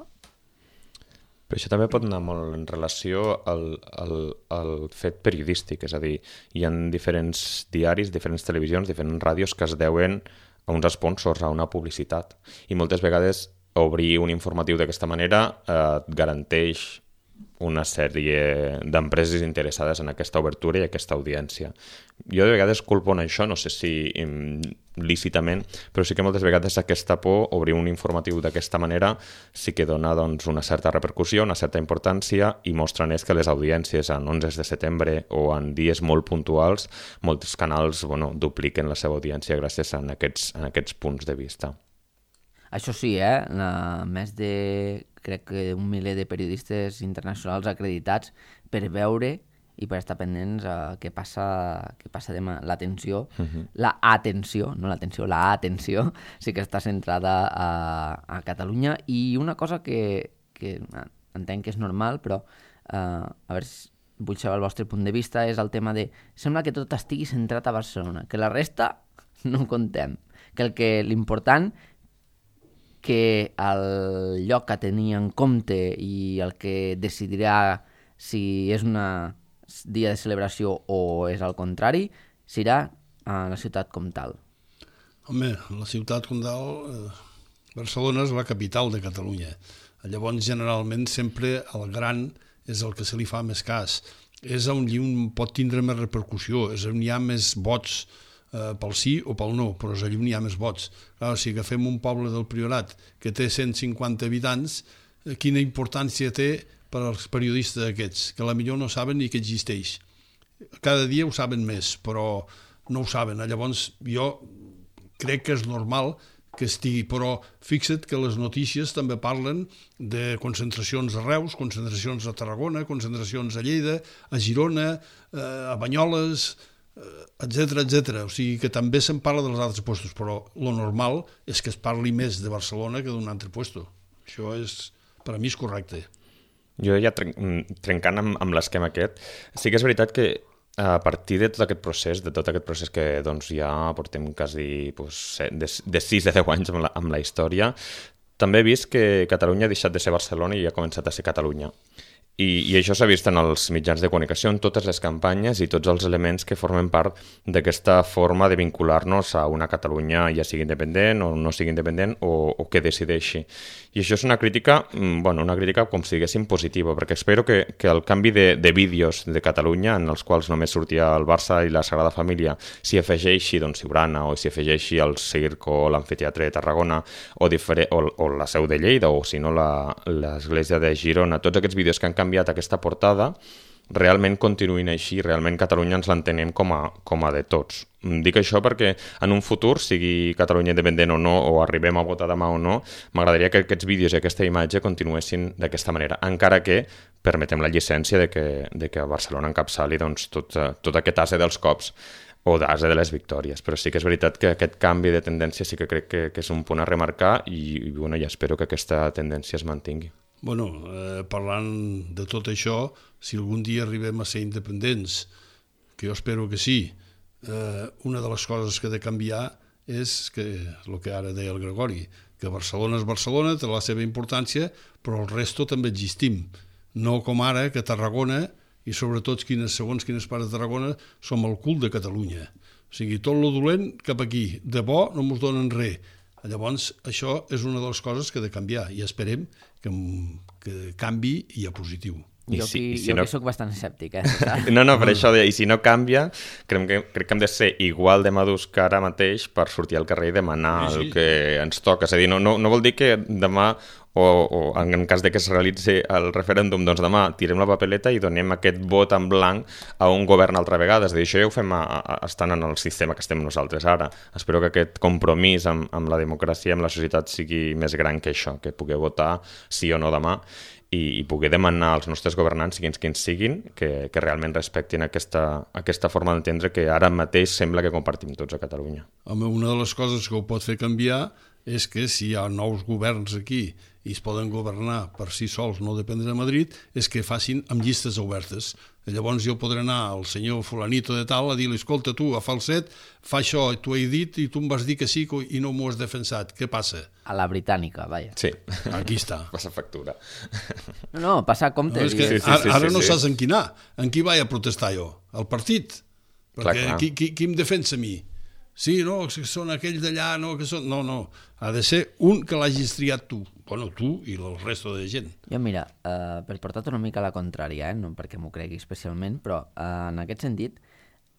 Però això també pot anar molt en relació al, al, al fet periodístic, és a dir, hi ha diferents diaris, diferents televisions, diferents ràdios que es deuen a uns sponsors, a una publicitat, i moltes vegades obrir un informatiu d'aquesta manera eh, et garanteix una sèrie d'empreses interessades en aquesta obertura i aquesta audiència. Jo de vegades culpo en això, no sé si lícitament, però sí que moltes vegades aquesta por, obrir un informatiu d'aquesta manera, sí que dona doncs, una certa repercussió, una certa importància i mostra més que les audiències en onze de setembre o en dies molt puntuals, molts canals bueno, dupliquen la seva audiència gràcies a aquests, a aquests punts de vista. Això sí, eh? La, més de, crec que un miler de periodistes internacionals acreditats per veure i per estar pendents a què passa, què passa demà. L'atenció, uh-huh. la atenció, no l'atenció, la atenció sí que està centrada a, a Catalunya. I una cosa que, que entenc que és normal, però eh, a veure, vull saber el vostre punt de vista, és el tema de, sembla que tot estigui centrat a Barcelona, que la resta no ho contem, que el que l'important que el lloc que tenia en compte i el que decidirà si és un dia de celebració o és al contrari, serà a la ciutat com tal. Home, la ciutat com tal, eh, Barcelona és la capital de Catalunya. Llavors, generalment, sempre el gran és el que se li fa més cas. És on un pot tindre més repercussió, és on hi ha més vots pel sí o pel no, però és allà on hi ha més vots. Clar, si agafem un poble del Priorat que té cent cinquanta habitants, quina importància té per als periodistes aquests, que a millor no saben ni que existeix. Cada dia ho saben més, però no ho saben. Llavors, jo crec que és normal que estigui, però fixa't que les notícies també parlen de concentracions a Reus, concentracions a Tarragona, concentracions a Lleida, a Girona, a Banyoles, etcètera, etcètera. O sigui que també se'n parla dels altres puestos, però lo normal és que es parli més de Barcelona que d'un altre puesto. Això és, per a mi és correcte. Jo ja trencant amb, amb l'esquema aquest, sí que és veritat que a partir de tot aquest procés, de tot aquest procés que doncs, ja portem quasi pues, de, de sis a deu anys amb la, amb la història, també he vist que Catalunya ha deixat de ser Barcelona i ha començat a ser Catalunya. I, i això s'ha vist en els mitjans de comunicació, en totes les campanyes i tots els elements que formen part d'aquesta forma de vincular-nos a una Catalunya, ja sigui independent o no sigui independent, o, o que decideixi. I això és una crítica, bueno, una crítica com si diguéssim positiva, perquè espero que, que el canvi de, de vídeos de Catalunya, en els quals només sortia el Barça i la Sagrada Família, s'hi afegeixi doncs, Siurana, o s'hi afegeixi el Circ o l'Amfiteatre de Tarragona, o, o, o la Seu de Lleida, o si no l'Església de Girona, tots aquests vídeos que han canviat aquesta portada, realment continuïn així, realment Catalunya ens l'entenem com a, com a de tots. Dic això perquè en un futur, sigui Catalunya independent o no, o arribem a votar demà o no, m'agradaria que aquests vídeos i aquesta imatge continuessin d'aquesta manera, encara que permetem la llicència de que, de que a Barcelona encapçali doncs, tot, tot aquest ase dels cops o d'ase de les victòries, però sí que és veritat que aquest canvi de tendència sí que crec que, que és un punt a remarcar i, i bueno, ja espero que aquesta tendència es mantingui. Bueno, eh, parlant de tot això, si algun dia arribem a ser independents, que jo espero que sí, eh, una de les coses que ha de canviar és que, el que ara deia el Gregori, que Barcelona és Barcelona, té la seva importància, però el resto també existim. No com ara, que Tarragona, i sobretot quines, segons quines parts de Tarragona, som el cul de Catalunya. O sigui, tot lo dolent cap aquí, de bo no mos donen res. Llavors, això és una de les coses que ha de canviar i esperem que, que canvi i a positiu. I jo, si, qui, si jo no... que soc bastant escèptic, eh? No, no, per això, de, i si no canvia, crec que, crec que hem de ser igual de madurs que ara mateix per sortir al carrer i demanar sí, sí. el que ens toca. És a dir, no, no, no vol dir que demà, o, o en cas de que es realitzi el referèndum, doncs demà tirem la papeleta i donem aquest vot en blanc a un govern altra vegada. És a dir, això ja ho fem a, a, estant en el sistema que estem nosaltres ara. Espero que aquest compromís amb, amb la democràcia, amb la societat, sigui més gran que això, que pugueu votar sí o no demà, i, i poder demanar als nostres governants, siguin quins siguin, que, que realment respectin aquesta, aquesta forma d'entendre que ara mateix sembla que compartim tots a Catalunya. Home, una de les coses que ho pot fer canviar és que si hi ha nous governs aquí i es poden governar per si sols, no dependre de Madrid, és que facin amb llistes obertes. Llavors jo podré anar al senyor fulanito de tal a dir-li, escolta, tu, a falset, fa això, t'ho he dit i tu em vas dir que sí i no m'ho has defensat. Què passa? A la britànica, vaja. Sí. Aquí està. Passa factura. No, no, passa compte. No, és que sí, sí, ara, sí, ara sí, no sí. saps en qui anar. En qui vaig a protestar jo? Al partit? Perquè clar, clar. Qui, qui, qui em defensa a mi? Sí, no, que són aquells d'allà, no, que són... No, no, ha de ser un que l'hagis triat tu. Bueno, tu i el resto de gent. Jo, mira, uh, per portar-te una mica a la contrària, eh? No perquè m'ho cregui especialment, però uh, en aquest sentit,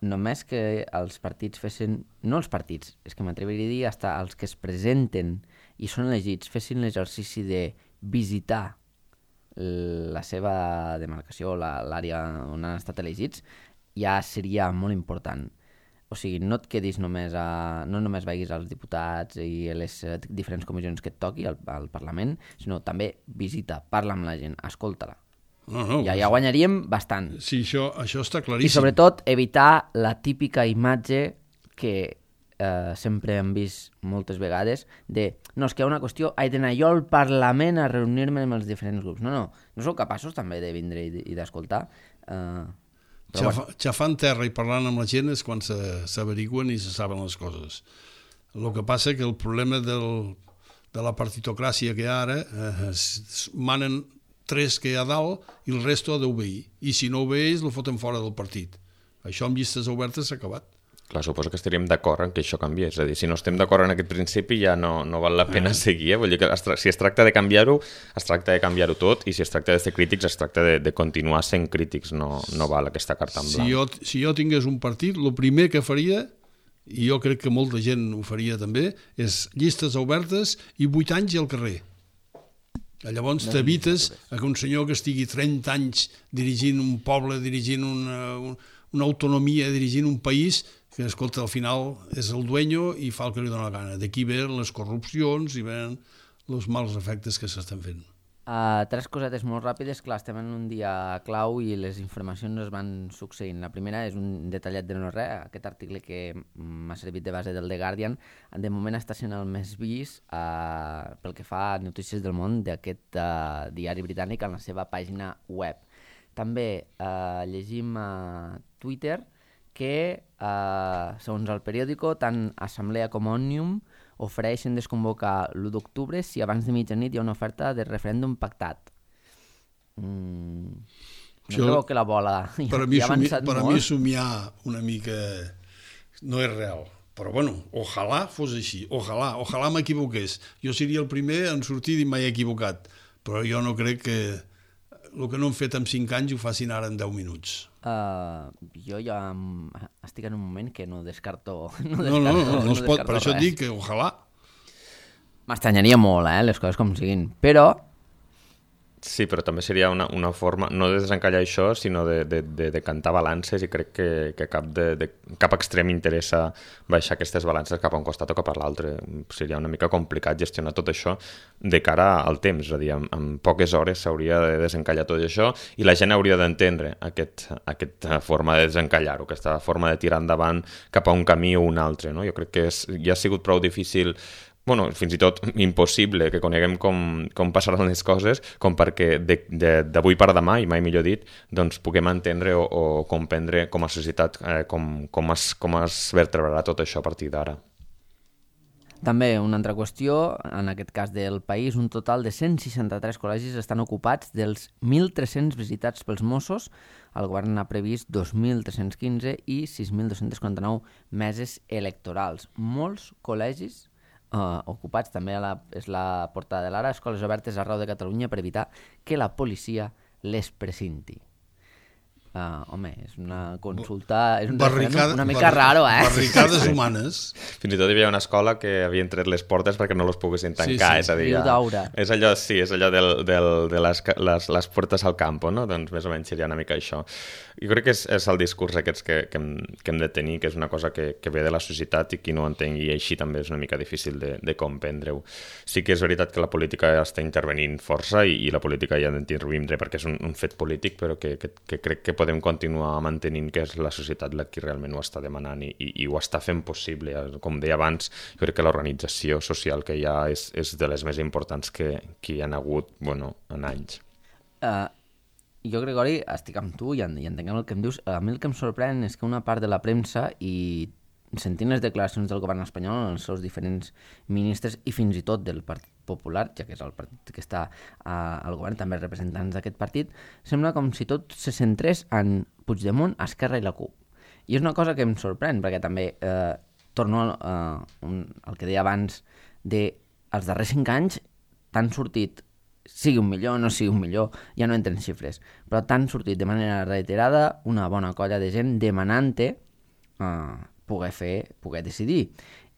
només que els partits fessin... No els partits, és que m'atreviria a dir hasta els que es presenten i són elegits fessin l'exercici de visitar la seva demarcació, l'àrea on han estat elegits, ja seria molt important. O sigui, no et quedis només a... No només vagis als diputats i a les diferents comissions que et toqui al, al Parlament, sinó també visita, parla amb la gent, escolta-la. No, no, ja, ja guanyaríem bastant. Sí, això, això està claríssim. I sobretot evitar la típica imatge que eh, sempre hem vist moltes vegades de no, és que hi ha una qüestió, he d'anar jo al Parlament a reunir-me amb els diferents grups. No, no, no sou capaços també de vindre i, i d'escoltar. Uh, Xafa, bueno. Xafant terra i parlant amb la gent és quan s'averiguen i se saben les coses. El que passa que el problema del, de la partitocràcia que hi ha ara, eh, manen tres que hi ha dalt i el resto ha d'obeir. I si no obeeix, el foten fora del partit. Això amb llistes obertes s'ha acabat. Clar, suposo que estaríem d'acord en que això canviés. És a dir, si no estem d'acord en aquest principi ja no, no val la pena ah. seguir. Eh? Vull dir que es tra- si es tracta de canviar-ho, es tracta de canviar-ho tot, i si es tracta de ser crítics, es tracta de, de continuar sent crítics. No, no val aquesta carta en blanc. Si jo, si jo tingués un partit, el primer que faria, i jo crec que molta gent ho faria també, és llistes obertes i vuit anys al carrer. Llavors t'evites que un senyor que estigui trenta anys dirigint un poble, dirigint una, una autonomia, dirigint un país, que, escolta, al final és el dueño i fa el que li dóna la gana. D'aquí ven les corrupcions i ven els mals efectes que s'estan fent. Uh, tres cosetes molt ràpides. Clar, estem en un dia clau i les informacions es van succeint. La primera és un detallet de no res, aquest article que m'ha servit de base del The Guardian. De moment està sent el més vist uh, pel que fa a notícies del món d'aquest uh, diari britànic en la seva pàgina web. També uh, llegim a Twitter que, eh, segons el periòdico, tant Assemblea com Òmnium ofereixen desconvocar l'u d'octubre si abans de mitjanit hi ha una oferta de referèndum pactat. Mm, no Això, trobo que la bola ja, per a mi, ja ha avançat per molt. a mi somiar una mica no és real. Però bueno, ojalà fos així, ojalà, ojalà m'equivoqués. Jo seria el primer en sortir i m'he equivocat, però jo no crec que el que no han fet en cinc anys ho facin ara en deu minuts. Uh, jo ja estic en un moment que no descarto no, no, descarto, no, no, no es pot, descarto per això res. et dic que ojalà. M'estranyaria molt, eh, les coses com siguin, però Sí, però també seria una, una forma, no de desencallar això, sinó de, de, de, de cantar balances, i crec que, que cap, de, de, cap extrem interessa baixar aquestes balances cap a un costat o cap a l'altre. Seria una mica complicat gestionar tot això de cara al temps, és a dir, en, en poques hores s'hauria de desencallar tot això i la gent hauria d'entendre aquest, aquesta forma de desencallar-ho, aquesta forma de tirar endavant cap a un camí o un altre. No? Jo crec que és, ja ha sigut prou difícil, bueno, fins i tot impossible que coneguem com, com passaran les coses, com perquè d'avui per demà, i mai millor dit, doncs puguem entendre o, o comprendre com a societat eh, com, com, es, com es vertebrarà tot això a partir d'ara. També una altra qüestió, en aquest cas del país, un total de cent seixanta-tres col·legis estan ocupats dels mil tres-cents visitats pels Mossos. El govern ha previst dos mil tres-cents quinze i sis mil dos-cents quaranta-nou meses electorals. Molts col·legis Uh, ocupats, també a la, és la portada de l'Ara, escoles obertes arreu de Catalunya per evitar que la policia les precinti. Uh, home, és una consulta, és un Barricada, una mica barri, raro, eh? Barricades humanes. Fins i tot hi havia una escola que havien tret les portes perquè no les poguessin tancar, sí, sí. és a dir, Riu d'Aura. És allò, sí, és allò del, del, de les, les, les portes al campo, no? Doncs més o menys seria una mica això. Jo crec que és, és el discurs aquests que, que, hem, que hem de tenir, que és una cosa que, que ve de la societat i qui no ho entengui així també és una mica difícil de, de comprendre-ho. Sí que és veritat que la política està intervenint força i, i la política ja ha d'intervindre perquè és un, un fet polític, però que, que, que crec que podem continuar mantenint que és la societat la qui realment ho està demanant i, i, i ho està fent possible. Com deia abans, jo crec que l'organització social que hi ha és, és de les més importants que, que hi ha hagut, bueno, en anys. Uh, jo, Gregori, estic amb tu i, en, i entenguem el que em dius. A mi el que em sorprèn és que una part de la premsa i sentint les declaracions del govern espanyol, els seus diferents ministres i fins i tot del Partit Popular, ja que és el partit que està uh, al govern, també representants d'aquest partit, sembla com si tot se centrés en Puigdemont, Esquerra i la CUP. I és una cosa que em sorprèn, perquè també eh, torno a uh, un, al que deia abans, de els darrers cinc anys t'han sortit, sigui un millor o no sigui un millor, ja no entren xifres, però t'han sortit de manera reiterada una bona colla de gent demanant-te uh, poder fer, poder decidir.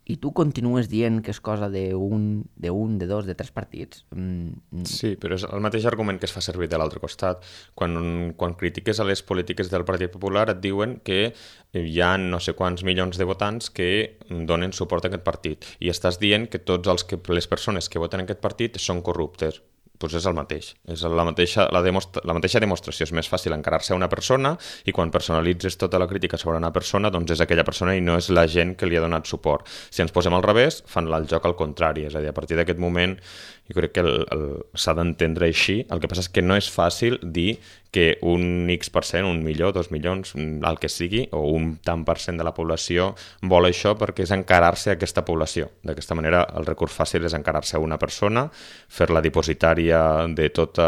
I tu continues dient que és cosa d'un, de un, de dos, de tres partits. Mm. Sí, però és el mateix argument que es fa servir de l'altre costat. Quan, quan critiques a les polítiques del Partit Popular et diuen que hi ha no sé quants milions de votants que donen suport a aquest partit. I estàs dient que tots els que, les persones que voten a aquest partit són corruptes. doncs és el mateix. És la mateixa, la, demostra, la mateixa demostració. És més fàcil encarar-se a una persona i quan personalitzes tota la crítica sobre una persona, doncs és aquella persona i no és la gent que li ha donat suport. Si ens posem al revés, fan el joc al contrari. És a dir, a partir d'aquest moment, jo crec que el, el, s'ha d'entendre així. El que passa és que no és fàcil dir que un X per cent, un milió, dos milions, el que sigui, o un tant per cent de la població vol això perquè és encarar-se a aquesta població. D'aquesta manera, el recurs fàcil és encarar-se a una persona, fer-la dipositària de tota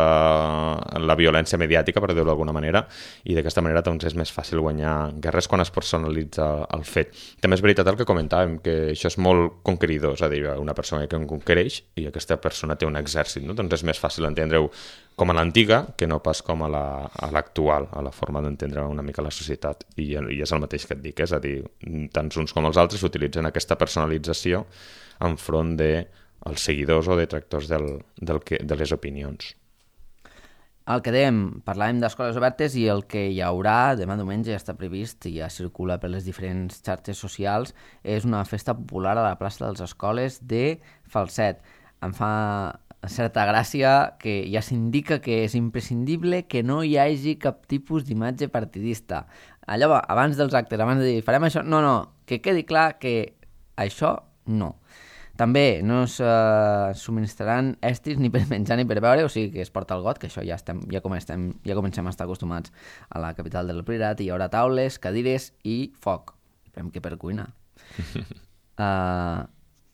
la violència mediàtica, per dir-ho d'alguna manera, i d'aquesta manera doncs, és més fàcil guanyar guerres quan es personalitza el fet. També és veritat el que comentàvem, que això és molt conqueridor, és a dir, una persona que en conquereix i aquesta persona té un exèrcit, no? Doncs és més fàcil entendre-ho com a l'antiga que no pas com a la a l'actual, a la forma d'entendre una mica la societat, I, i és el mateix que et dic, és a dir, tant uns com els altres utilitzen aquesta personalització enfront dels seguidors o detractors del, del que, de les opinions. El que dèiem, parlàvem d'escoles obertes i el que hi haurà demà diumenge ja està previst i ja circula per les diferents xarxes socials, és una festa popular a la plaça de les Escoles de Falset. Em fa certa gràcia que ja s'indica que és imprescindible que no hi hagi cap tipus d'imatge partidista. Allò, abans dels actes, abans de dir farem això, no, no, que quedi clar que això no. També no es uh, subministraran estris ni per menjar ni per beure, o sigui que es porta el got, que això ja, estem, ja, com estem, ja comencem a estar acostumats a la capital del Priorat, i hi haurà taules, cadires i foc. Esperem que per cuinar. Uh,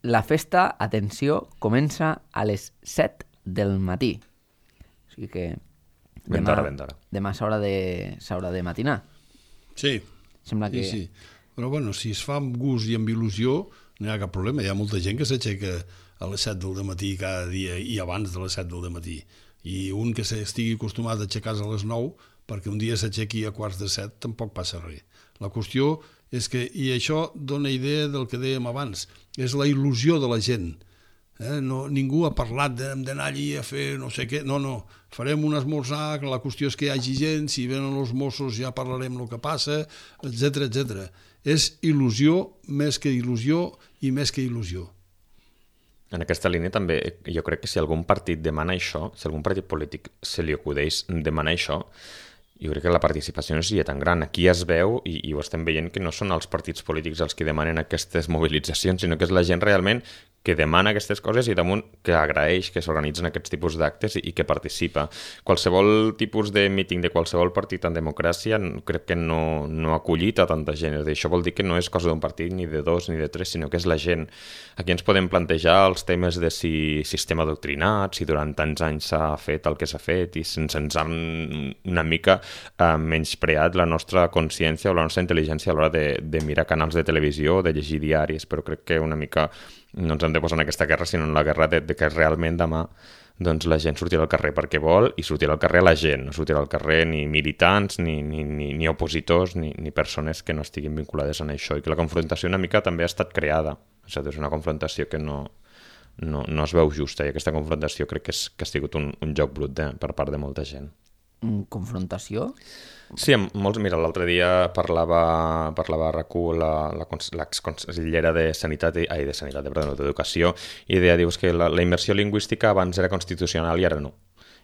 La festa, atenció, comença a les set del matí. O sigui que ben demà, d'hora, ben d'hora. demà s'haurà de, s'haurà de matinar. Sí, Sembla que... sí, sí. Però bueno, si es fa amb gust i amb il·lusió, no hi ha cap problema. Hi ha molta gent que s'aixeca a les set del matí cada dia i abans de les set del matí. I un que estigui acostumat a aixecar-se a les nou, perquè un dia s'aixequi a quarts de set, tampoc passa res. La qüestió és que, i això dona idea del que dèiem abans, és la il·lusió de la gent. Eh? No, ningú ha parlat d'anar allí a fer no sé què, no, no, farem un esmorzar, la qüestió és que hi hagi gent, si venen els Mossos ja parlarem el que passa, etcètera, etcètera. És il·lusió més que il·lusió i més que il·lusió. En aquesta línia també jo crec que si algun partit demana això, si algun partit polític se li acudeix demanar això, jo crec que la participació no seria tan gran. Aquí es veu, i, i ho estem veient, que no són els partits polítics els que demanen aquestes mobilitzacions, sinó que és la gent realment que demana aquestes coses i damunt que agraeix que s'organitzen aquests tipus d'actes i, i que participa. Qualsevol tipus de míting de qualsevol partit en democràcia crec que no, no ha acollit a tanta gent. És dir, això vol dir que no és cosa d'un partit, ni de dos, ni de tres, sinó que és la gent. Aquí ens podem plantejar els temes de si sistema adoctrinat, si durant tants anys s'ha fet el que s'ha fet i sense ens han una mica eh, menyspreat la nostra consciència o la nostra intel·ligència a l'hora de, de mirar canals de televisió o de llegir diaris, però crec que una mica no ens hem de posar en aquesta guerra, sinó en la guerra de, de que realment demà doncs, la gent sortirà al carrer perquè vol i sortirà al carrer la gent, no sortirà al carrer ni militants, ni, ni, ni, ni opositors, ni, ni persones que no estiguin vinculades en això, i que la confrontació una mica també ha estat creada. És a dir, és una confrontació que no, no, no es veu justa, i aquesta confrontació crec que, és, que ha sigut un, un joc brut de, per part de molta gent. Confrontació? Sí, amb molts, mira, l'altre dia parlava, parlava a RAC1 l'exconsellera de Sanitat, i, ai, de Sanitat, perdó, d'Educació, i deia, dius que la, la immersió lingüística abans era constitucional i ara no.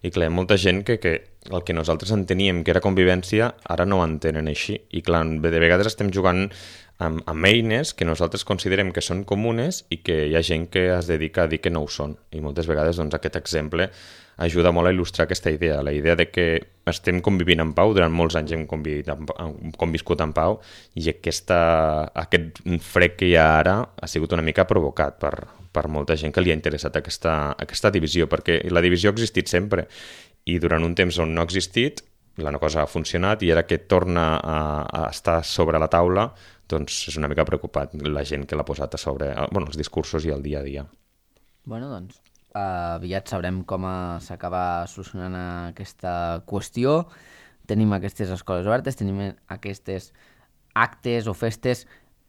I clar, molta gent que, que el que nosaltres enteníem que era convivència, ara no ho entenen així. I clar, de vegades estem jugant amb, amb eines que nosaltres considerem que són comunes i que hi ha gent que es dedica a dir que no ho són. I moltes vegades doncs, aquest exemple ajuda molt a il·lustrar aquesta idea, la idea de que estem convivint en pau, durant molts anys hem, en, hem conviscut en pau, i aquesta, aquest fred que hi ha ara ha sigut una mica provocat per, per molta gent que li ha interessat aquesta, aquesta divisió, perquè la divisió ha existit sempre, i durant un temps on no ha existit, la cosa ha funcionat, i ara que torna a, a estar sobre la taula, doncs és una mica preocupat la gent que l'ha posat a sobre, bueno, els discursos i el dia a dia. Bueno, doncs, Uh, aviat sabrem com s'acaba solucionant aquesta qüestió. Tenim aquestes escoles obertes, tenim aquestes actes o festes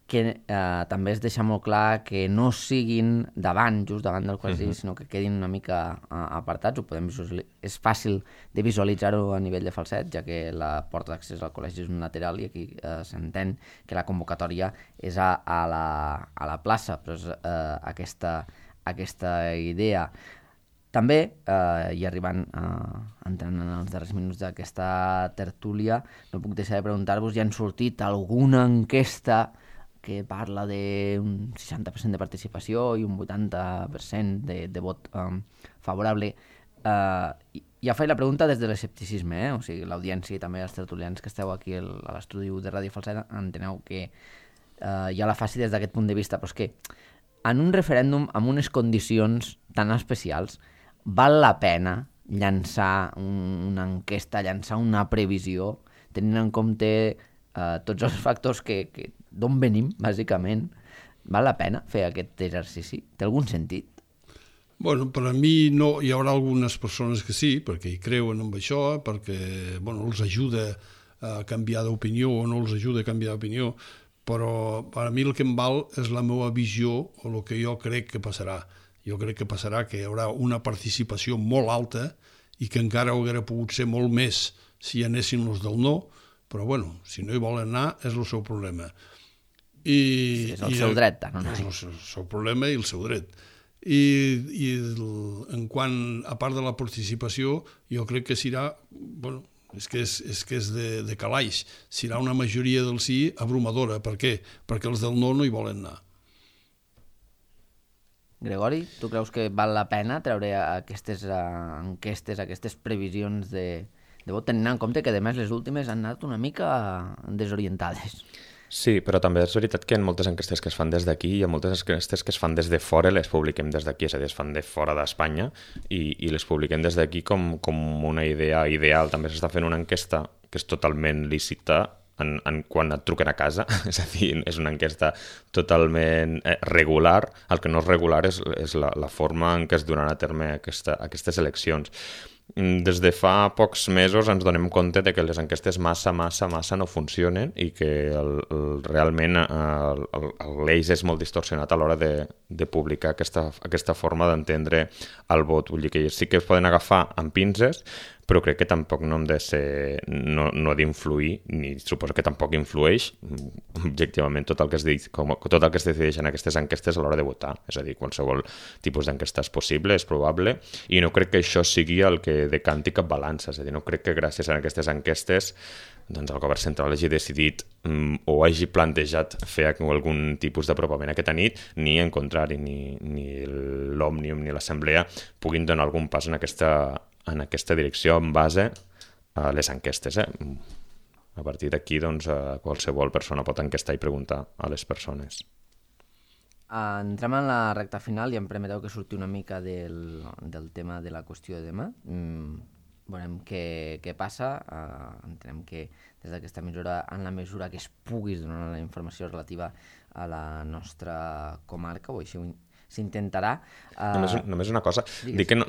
que uh, també es deixa molt clar que no siguin davant, just davant del col·legi, uh-huh. sinó que quedin una mica uh, apartats. Ho podem visualitzar. És fàcil de visualitzar-ho a nivell de Falset, ja que la porta d'accés al col·legi és un lateral i aquí uh, s'entén que la convocatòria és a, a, la, a la plaça, però és uh, aquesta... aquesta idea. També, eh, i arribant a, entrant en els darrers minuts d'aquesta tertúlia, no puc deixar de preguntar-vos, ja han sortit alguna enquesta que parla d'un seixanta per cent de participació i un vuitanta per cent de, de vot um, favorable. Uh, ja faig la pregunta des de l'escepticisme, eh? O sigui, l'audiència i també els tertulians que esteu aquí el, a l'estudi de Ràdio Falset enteneu que uh, ja la faci des d'aquest punt de vista, però és que en un referèndum amb unes condicions tan especials val la pena llançar un, una enquesta, llançar una previsió, tenint en compte uh, tots els factors que, que d'on venim, bàsicament. Val la pena fer aquest exercici? Té algun sentit? Bueno, per a mi no, hi haurà algunes persones que sí, perquè hi creuen en això, perquè bueno, els ajuda a canviar d'opinió o no els ajuda a canviar d'opinió, però per a mi el que em val és la meva visió o el que jo crec que passarà. Jo crec que passarà que hi haurà una participació molt alta i que encara hauria pogut ser molt més si hi anessin els del no, però bueno, si no hi volen anar és el seu problema. I, sí, és el i, seu dret, tant, no? És el seu, el seu problema i el seu dret. I, i el, en quant a part de la participació, jo crec que serà, bueno, és que és, és, que és de, de calaix, serà una majoria del sí abrumadora. Per què? Perquè els del no no hi volen anar. Gregori, tu creus que val la pena treure aquestes uh, enquestes, aquestes previsions de, de vot, tenint en compte que, a més, les últimes han anat una mica desorientades? Sí, però també és veritat que en moltes enquestes que es fan des d'aquí i en moltes enquestes que es fan des de fora les publiquem des d'aquí, és a dir, es fan de fora d'Espanya i, i les publiquem des d'aquí com, com una idea ideal. També s'està fent una enquesta que és totalment lícita en, en quan et truquen a casa, és a dir, és una enquesta totalment eh, regular. El que no és regular és, és la, la forma en què es donaran a terme aquesta, aquestes eleccions. Des de fa pocs mesos ens donem compte de que les enquestes massa, massa, massa no funcionen i que el, el, realment l'eix és molt distorsionat a l'hora de, de publicar aquesta, aquesta forma d'entendre el vot. Vull dir que sí que es poden agafar amb pinces, però crec que tampoc no hem de ser, no, no d'influir, ni suposo que tampoc influeix objectivament tot el que es dic, com, tot el que es decideix en aquestes enquestes a l'hora de votar. És a dir, qualsevol tipus d'enquesta és possible, és probable, i no crec que això sigui el que decanti cap balança. És a dir, no crec que gràcies a aquestes enquestes doncs el govern central hagi decidit um, o hagi plantejat fer algun tipus d'apropament aquesta nit, ni en contrari, ni, ni l'Òmnium ni l'Assemblea puguin donar algun pas en aquesta en aquesta direcció en base a les enquestes. Eh? A partir d'aquí, doncs, qualsevol persona pot enquestar i preguntar a les persones. Uh, entrem en la recta final i em permeteu que surti una mica del, del tema de la qüestió de demà. Mm, veurem què, què passa. Uh, entenem que des d'aquesta mesura, en la mesura que es pugui donar la informació relativa a la nostra comarca, o així s'intentarà. Uh... Només, només una cosa, digues. Dic que no,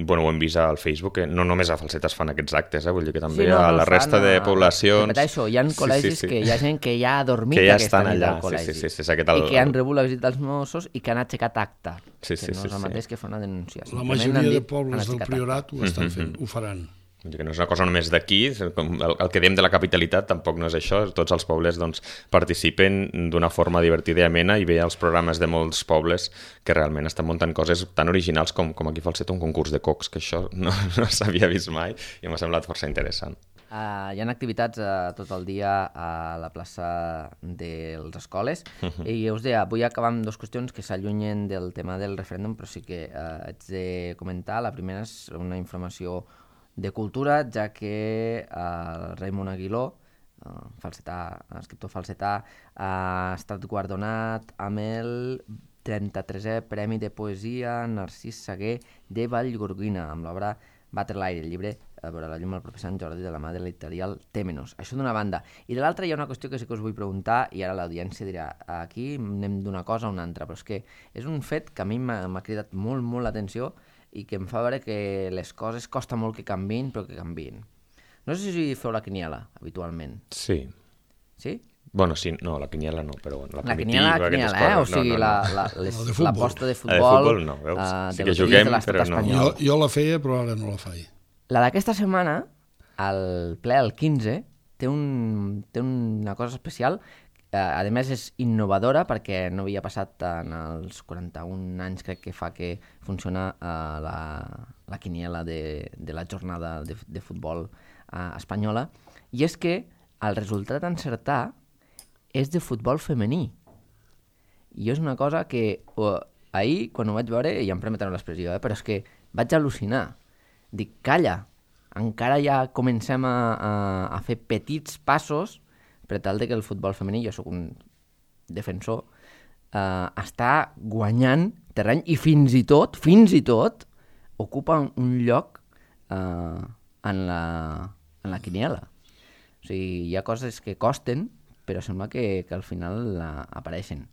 bueno, ho hem vist al Facebook, que no només a Falset es fan aquests actes, eh? Vull dir que també sí, no, a la resta de poblacions... Repeteixo, hi ha col·legis sí, sí, sí. que hi ha gent que ja ha dormit ja aquesta nit allà. al col·legi sí, sí, sí, sí, el... i que han rebut la visita dels Mossos i que han aixecat acta, sí, sí, que no és el sí, mateix sí. que fer una denúncia. La majoria de pobles del Priorat ho estan fent, ho faran. Que no és una cosa només d'aquí, el, el que diem de la capitalitat tampoc no és això, tots els pobles doncs, participen d'una forma divertida i amena i ve els programes de molts pobles que realment estan muntant coses tan originals com, com aquí a Falset un concurs de cocs, que això no, no s'havia vist mai i m'ha semblat força interessant. Uh, hi ha activitats uh, tot el dia a la plaça de les escoles uh-huh. i us deia, vull acabar amb dues qüestions que s'allunyen del tema del referèndum, però sí que uh, haig de comentar. La primera és una informació de cultura, ja que uh, Raimon Aguiló, uh, falsetà, escriptor falsetà, ha estat guardonat amb el trenta-tresè Premi de Poesia Narcís Saguer de Vallgorguina, amb l'obra Batre l'aire, el llibre a veure la llum el proper Sant Jordi de la mà de l'editorial Temenos. Això d'una banda. I de l'altra hi ha una qüestió que sí que us vull preguntar i ara l'audiència dirà, aquí anem d'una cosa a una altra, però és que és un fet que a mi m'ha cridat molt, molt l'atenció i que em fa veure que les coses costa molt que canviïn, però que canviïn. No sé si feu la quiniela, habitualment. Sí. Sí? Bueno, sí, no, la quiniela no, però bueno, la, la quiniela, la quiniela, eh? O sigui, no, no, no. la, la, les, la l'aposta de futbol... La de futbol no, veus? Uh, sí que juguem, però no. Jo, jo la feia, però ara no la faig. La d'aquesta setmana, el ple, el quinze, té, un, té una cosa especial a més és innovadora perquè no havia passat en els quaranta-un anys crec que fa que funciona uh, la, la quiniela de, de la jornada de, de futbol uh, espanyola, i és que el resultat a encertar és de futbol femení. I és una cosa que uh, ahir, quan ho vaig veure, i em permeteu l'expressió, eh, però és que vaig al·lucinar. Dic, calla, encara ja comencem a, a, a fer petits passos per tal de que el futbol femení, jo sóc un defensor, eh, està guanyant terreny i fins i tot, fins i tot, ocupa un lloc eh, en, la, en la quiniela. O sigui, hi ha coses que costen, però sembla que, que al final la, apareixen.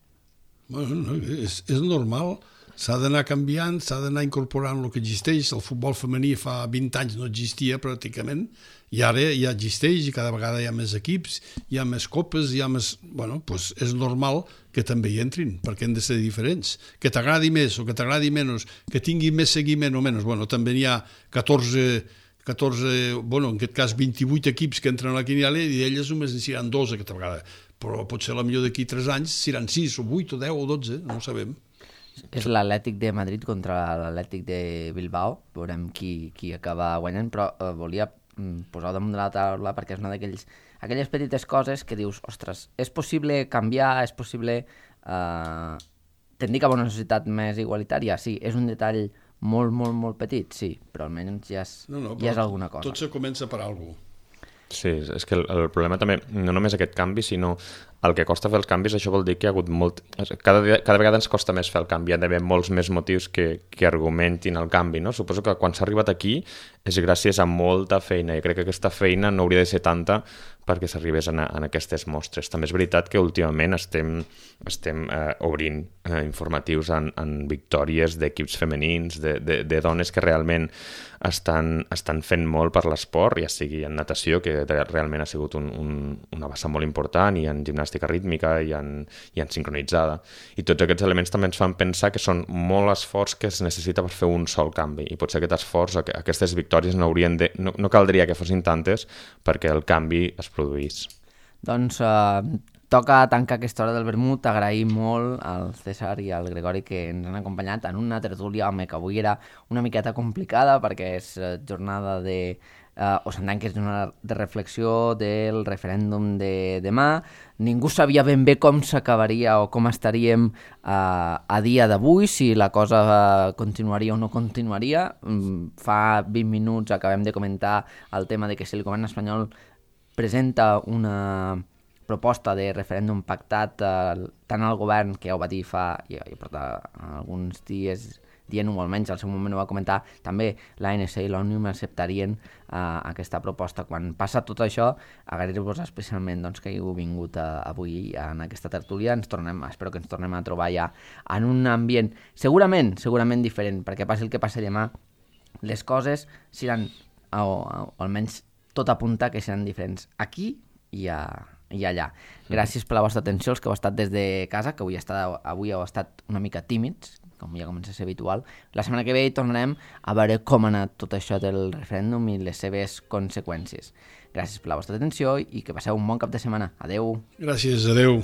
Bueno, no, és, és normal, s'ha d'anar canviant, s'ha d'anar incorporant el que existeix. El futbol femení fa vint anys no existia pràcticament, i ara ja existeix, i cada vegada hi ha més equips, hi ha més copes, hi ha més... Bueno, doncs és normal que també hi entrin, perquè han de ser diferents. Que t'agradi més o que t'agradi menys, que tingui més seguiment o menys. Bueno, també hi ha catorze, catorze, bueno, en aquest cas vint-i-vuit equips que entren a la quiniela i d'elles només n'hi seran dos aquesta vegada. Però potser la millor d'aquí tres anys seran sis o vuit o deu o dotze, no ho sabem. És l'Atlètic de Madrid contra l'Atlètic de Bilbao, veurem qui, qui acaba guanyant, però eh, volia posar damunt de la taula perquè és una d'aquelles aquelles petites coses que dius, ostres, és possible canviar, és possible eh, tendir cap a una societat més igualitària? Sí, és un detall molt, molt, molt petit, sí, però almenys ja és, no, no, ja és alguna cosa. Tot se comença per alguna cosa. Sí, és que el, el problema també, no només aquest canvi, sinó el que costa fer els canvis, això vol dir que hi ha hagut molt... Cada, cada vegada ens costa més fer el canvi, hi ha d'haver molts més motius que, que argumentin el canvi, no? Suposo que quan s'ha arribat aquí és gràcies a molta feina, i crec que aquesta feina no hauria de ser tanta perquè s'arribés en, en aquestes mostres. També és veritat que últimament estem, estem eh, obrint eh, informatius en, en victòries d'equips femenins, de, de, de dones que realment estan, estan fent molt per l'esport, ja sigui en natació, que realment ha sigut un, un, una bassa molt important, i en gimnàstica rítmica, i en, i en sincronitzada. I tots aquests elements també ens fan pensar que són molt esforç que es necessita per fer un sol canvi, i potser aquest esforç, aquestes victòries no, haurien de, no, no caldria que fossin tantes perquè el canvi es produís. Doncs eh, toca tancar aquesta hora del vermut. Agraïm molt al César i al Gregori que ens han acompanyat en una tertúlia, home, que avui era una miqueta complicada perquè és jornada de... Uh, o s'entén que és una de reflexió del referèndum de demà. Ningú sabia ben bé com s'acabaria o com estaríem uh, a dia d'avui, si la cosa uh, continuaria o no continuaria. Um, fa vint minuts acabem de comentar el tema de que si el govern espanyol presenta una proposta de referèndum pactat uh, tant al govern, que ja ho va dir fa ja, ja porta alguns dies dient-ho, almenys al seu moment ho va comentar, també l'A N C i l'Òmnium acceptarien uh, aquesta proposta. Quan passa tot això, agrair-vos especialment doncs, que heu vingut uh, avui en aquesta tertúlia. Ens tornem, espero que ens tornem a trobar ja en un ambient segurament, segurament diferent, perquè passi el que passi demà, les coses seran, o, o almenys tot apunta que seran diferents aquí i a, i allà. Gràcies per la vostra atenció, els que heu estat des de casa, que avui, estat, avui heu estat una mica tímids, com ja comença a ser habitual. La setmana que ve tornarem a veure com ha anat tot això del referèndum i les seves conseqüències. Gràcies per la vostra atenció i que passeu un bon cap de setmana. Adeu. Gràcies, adeu.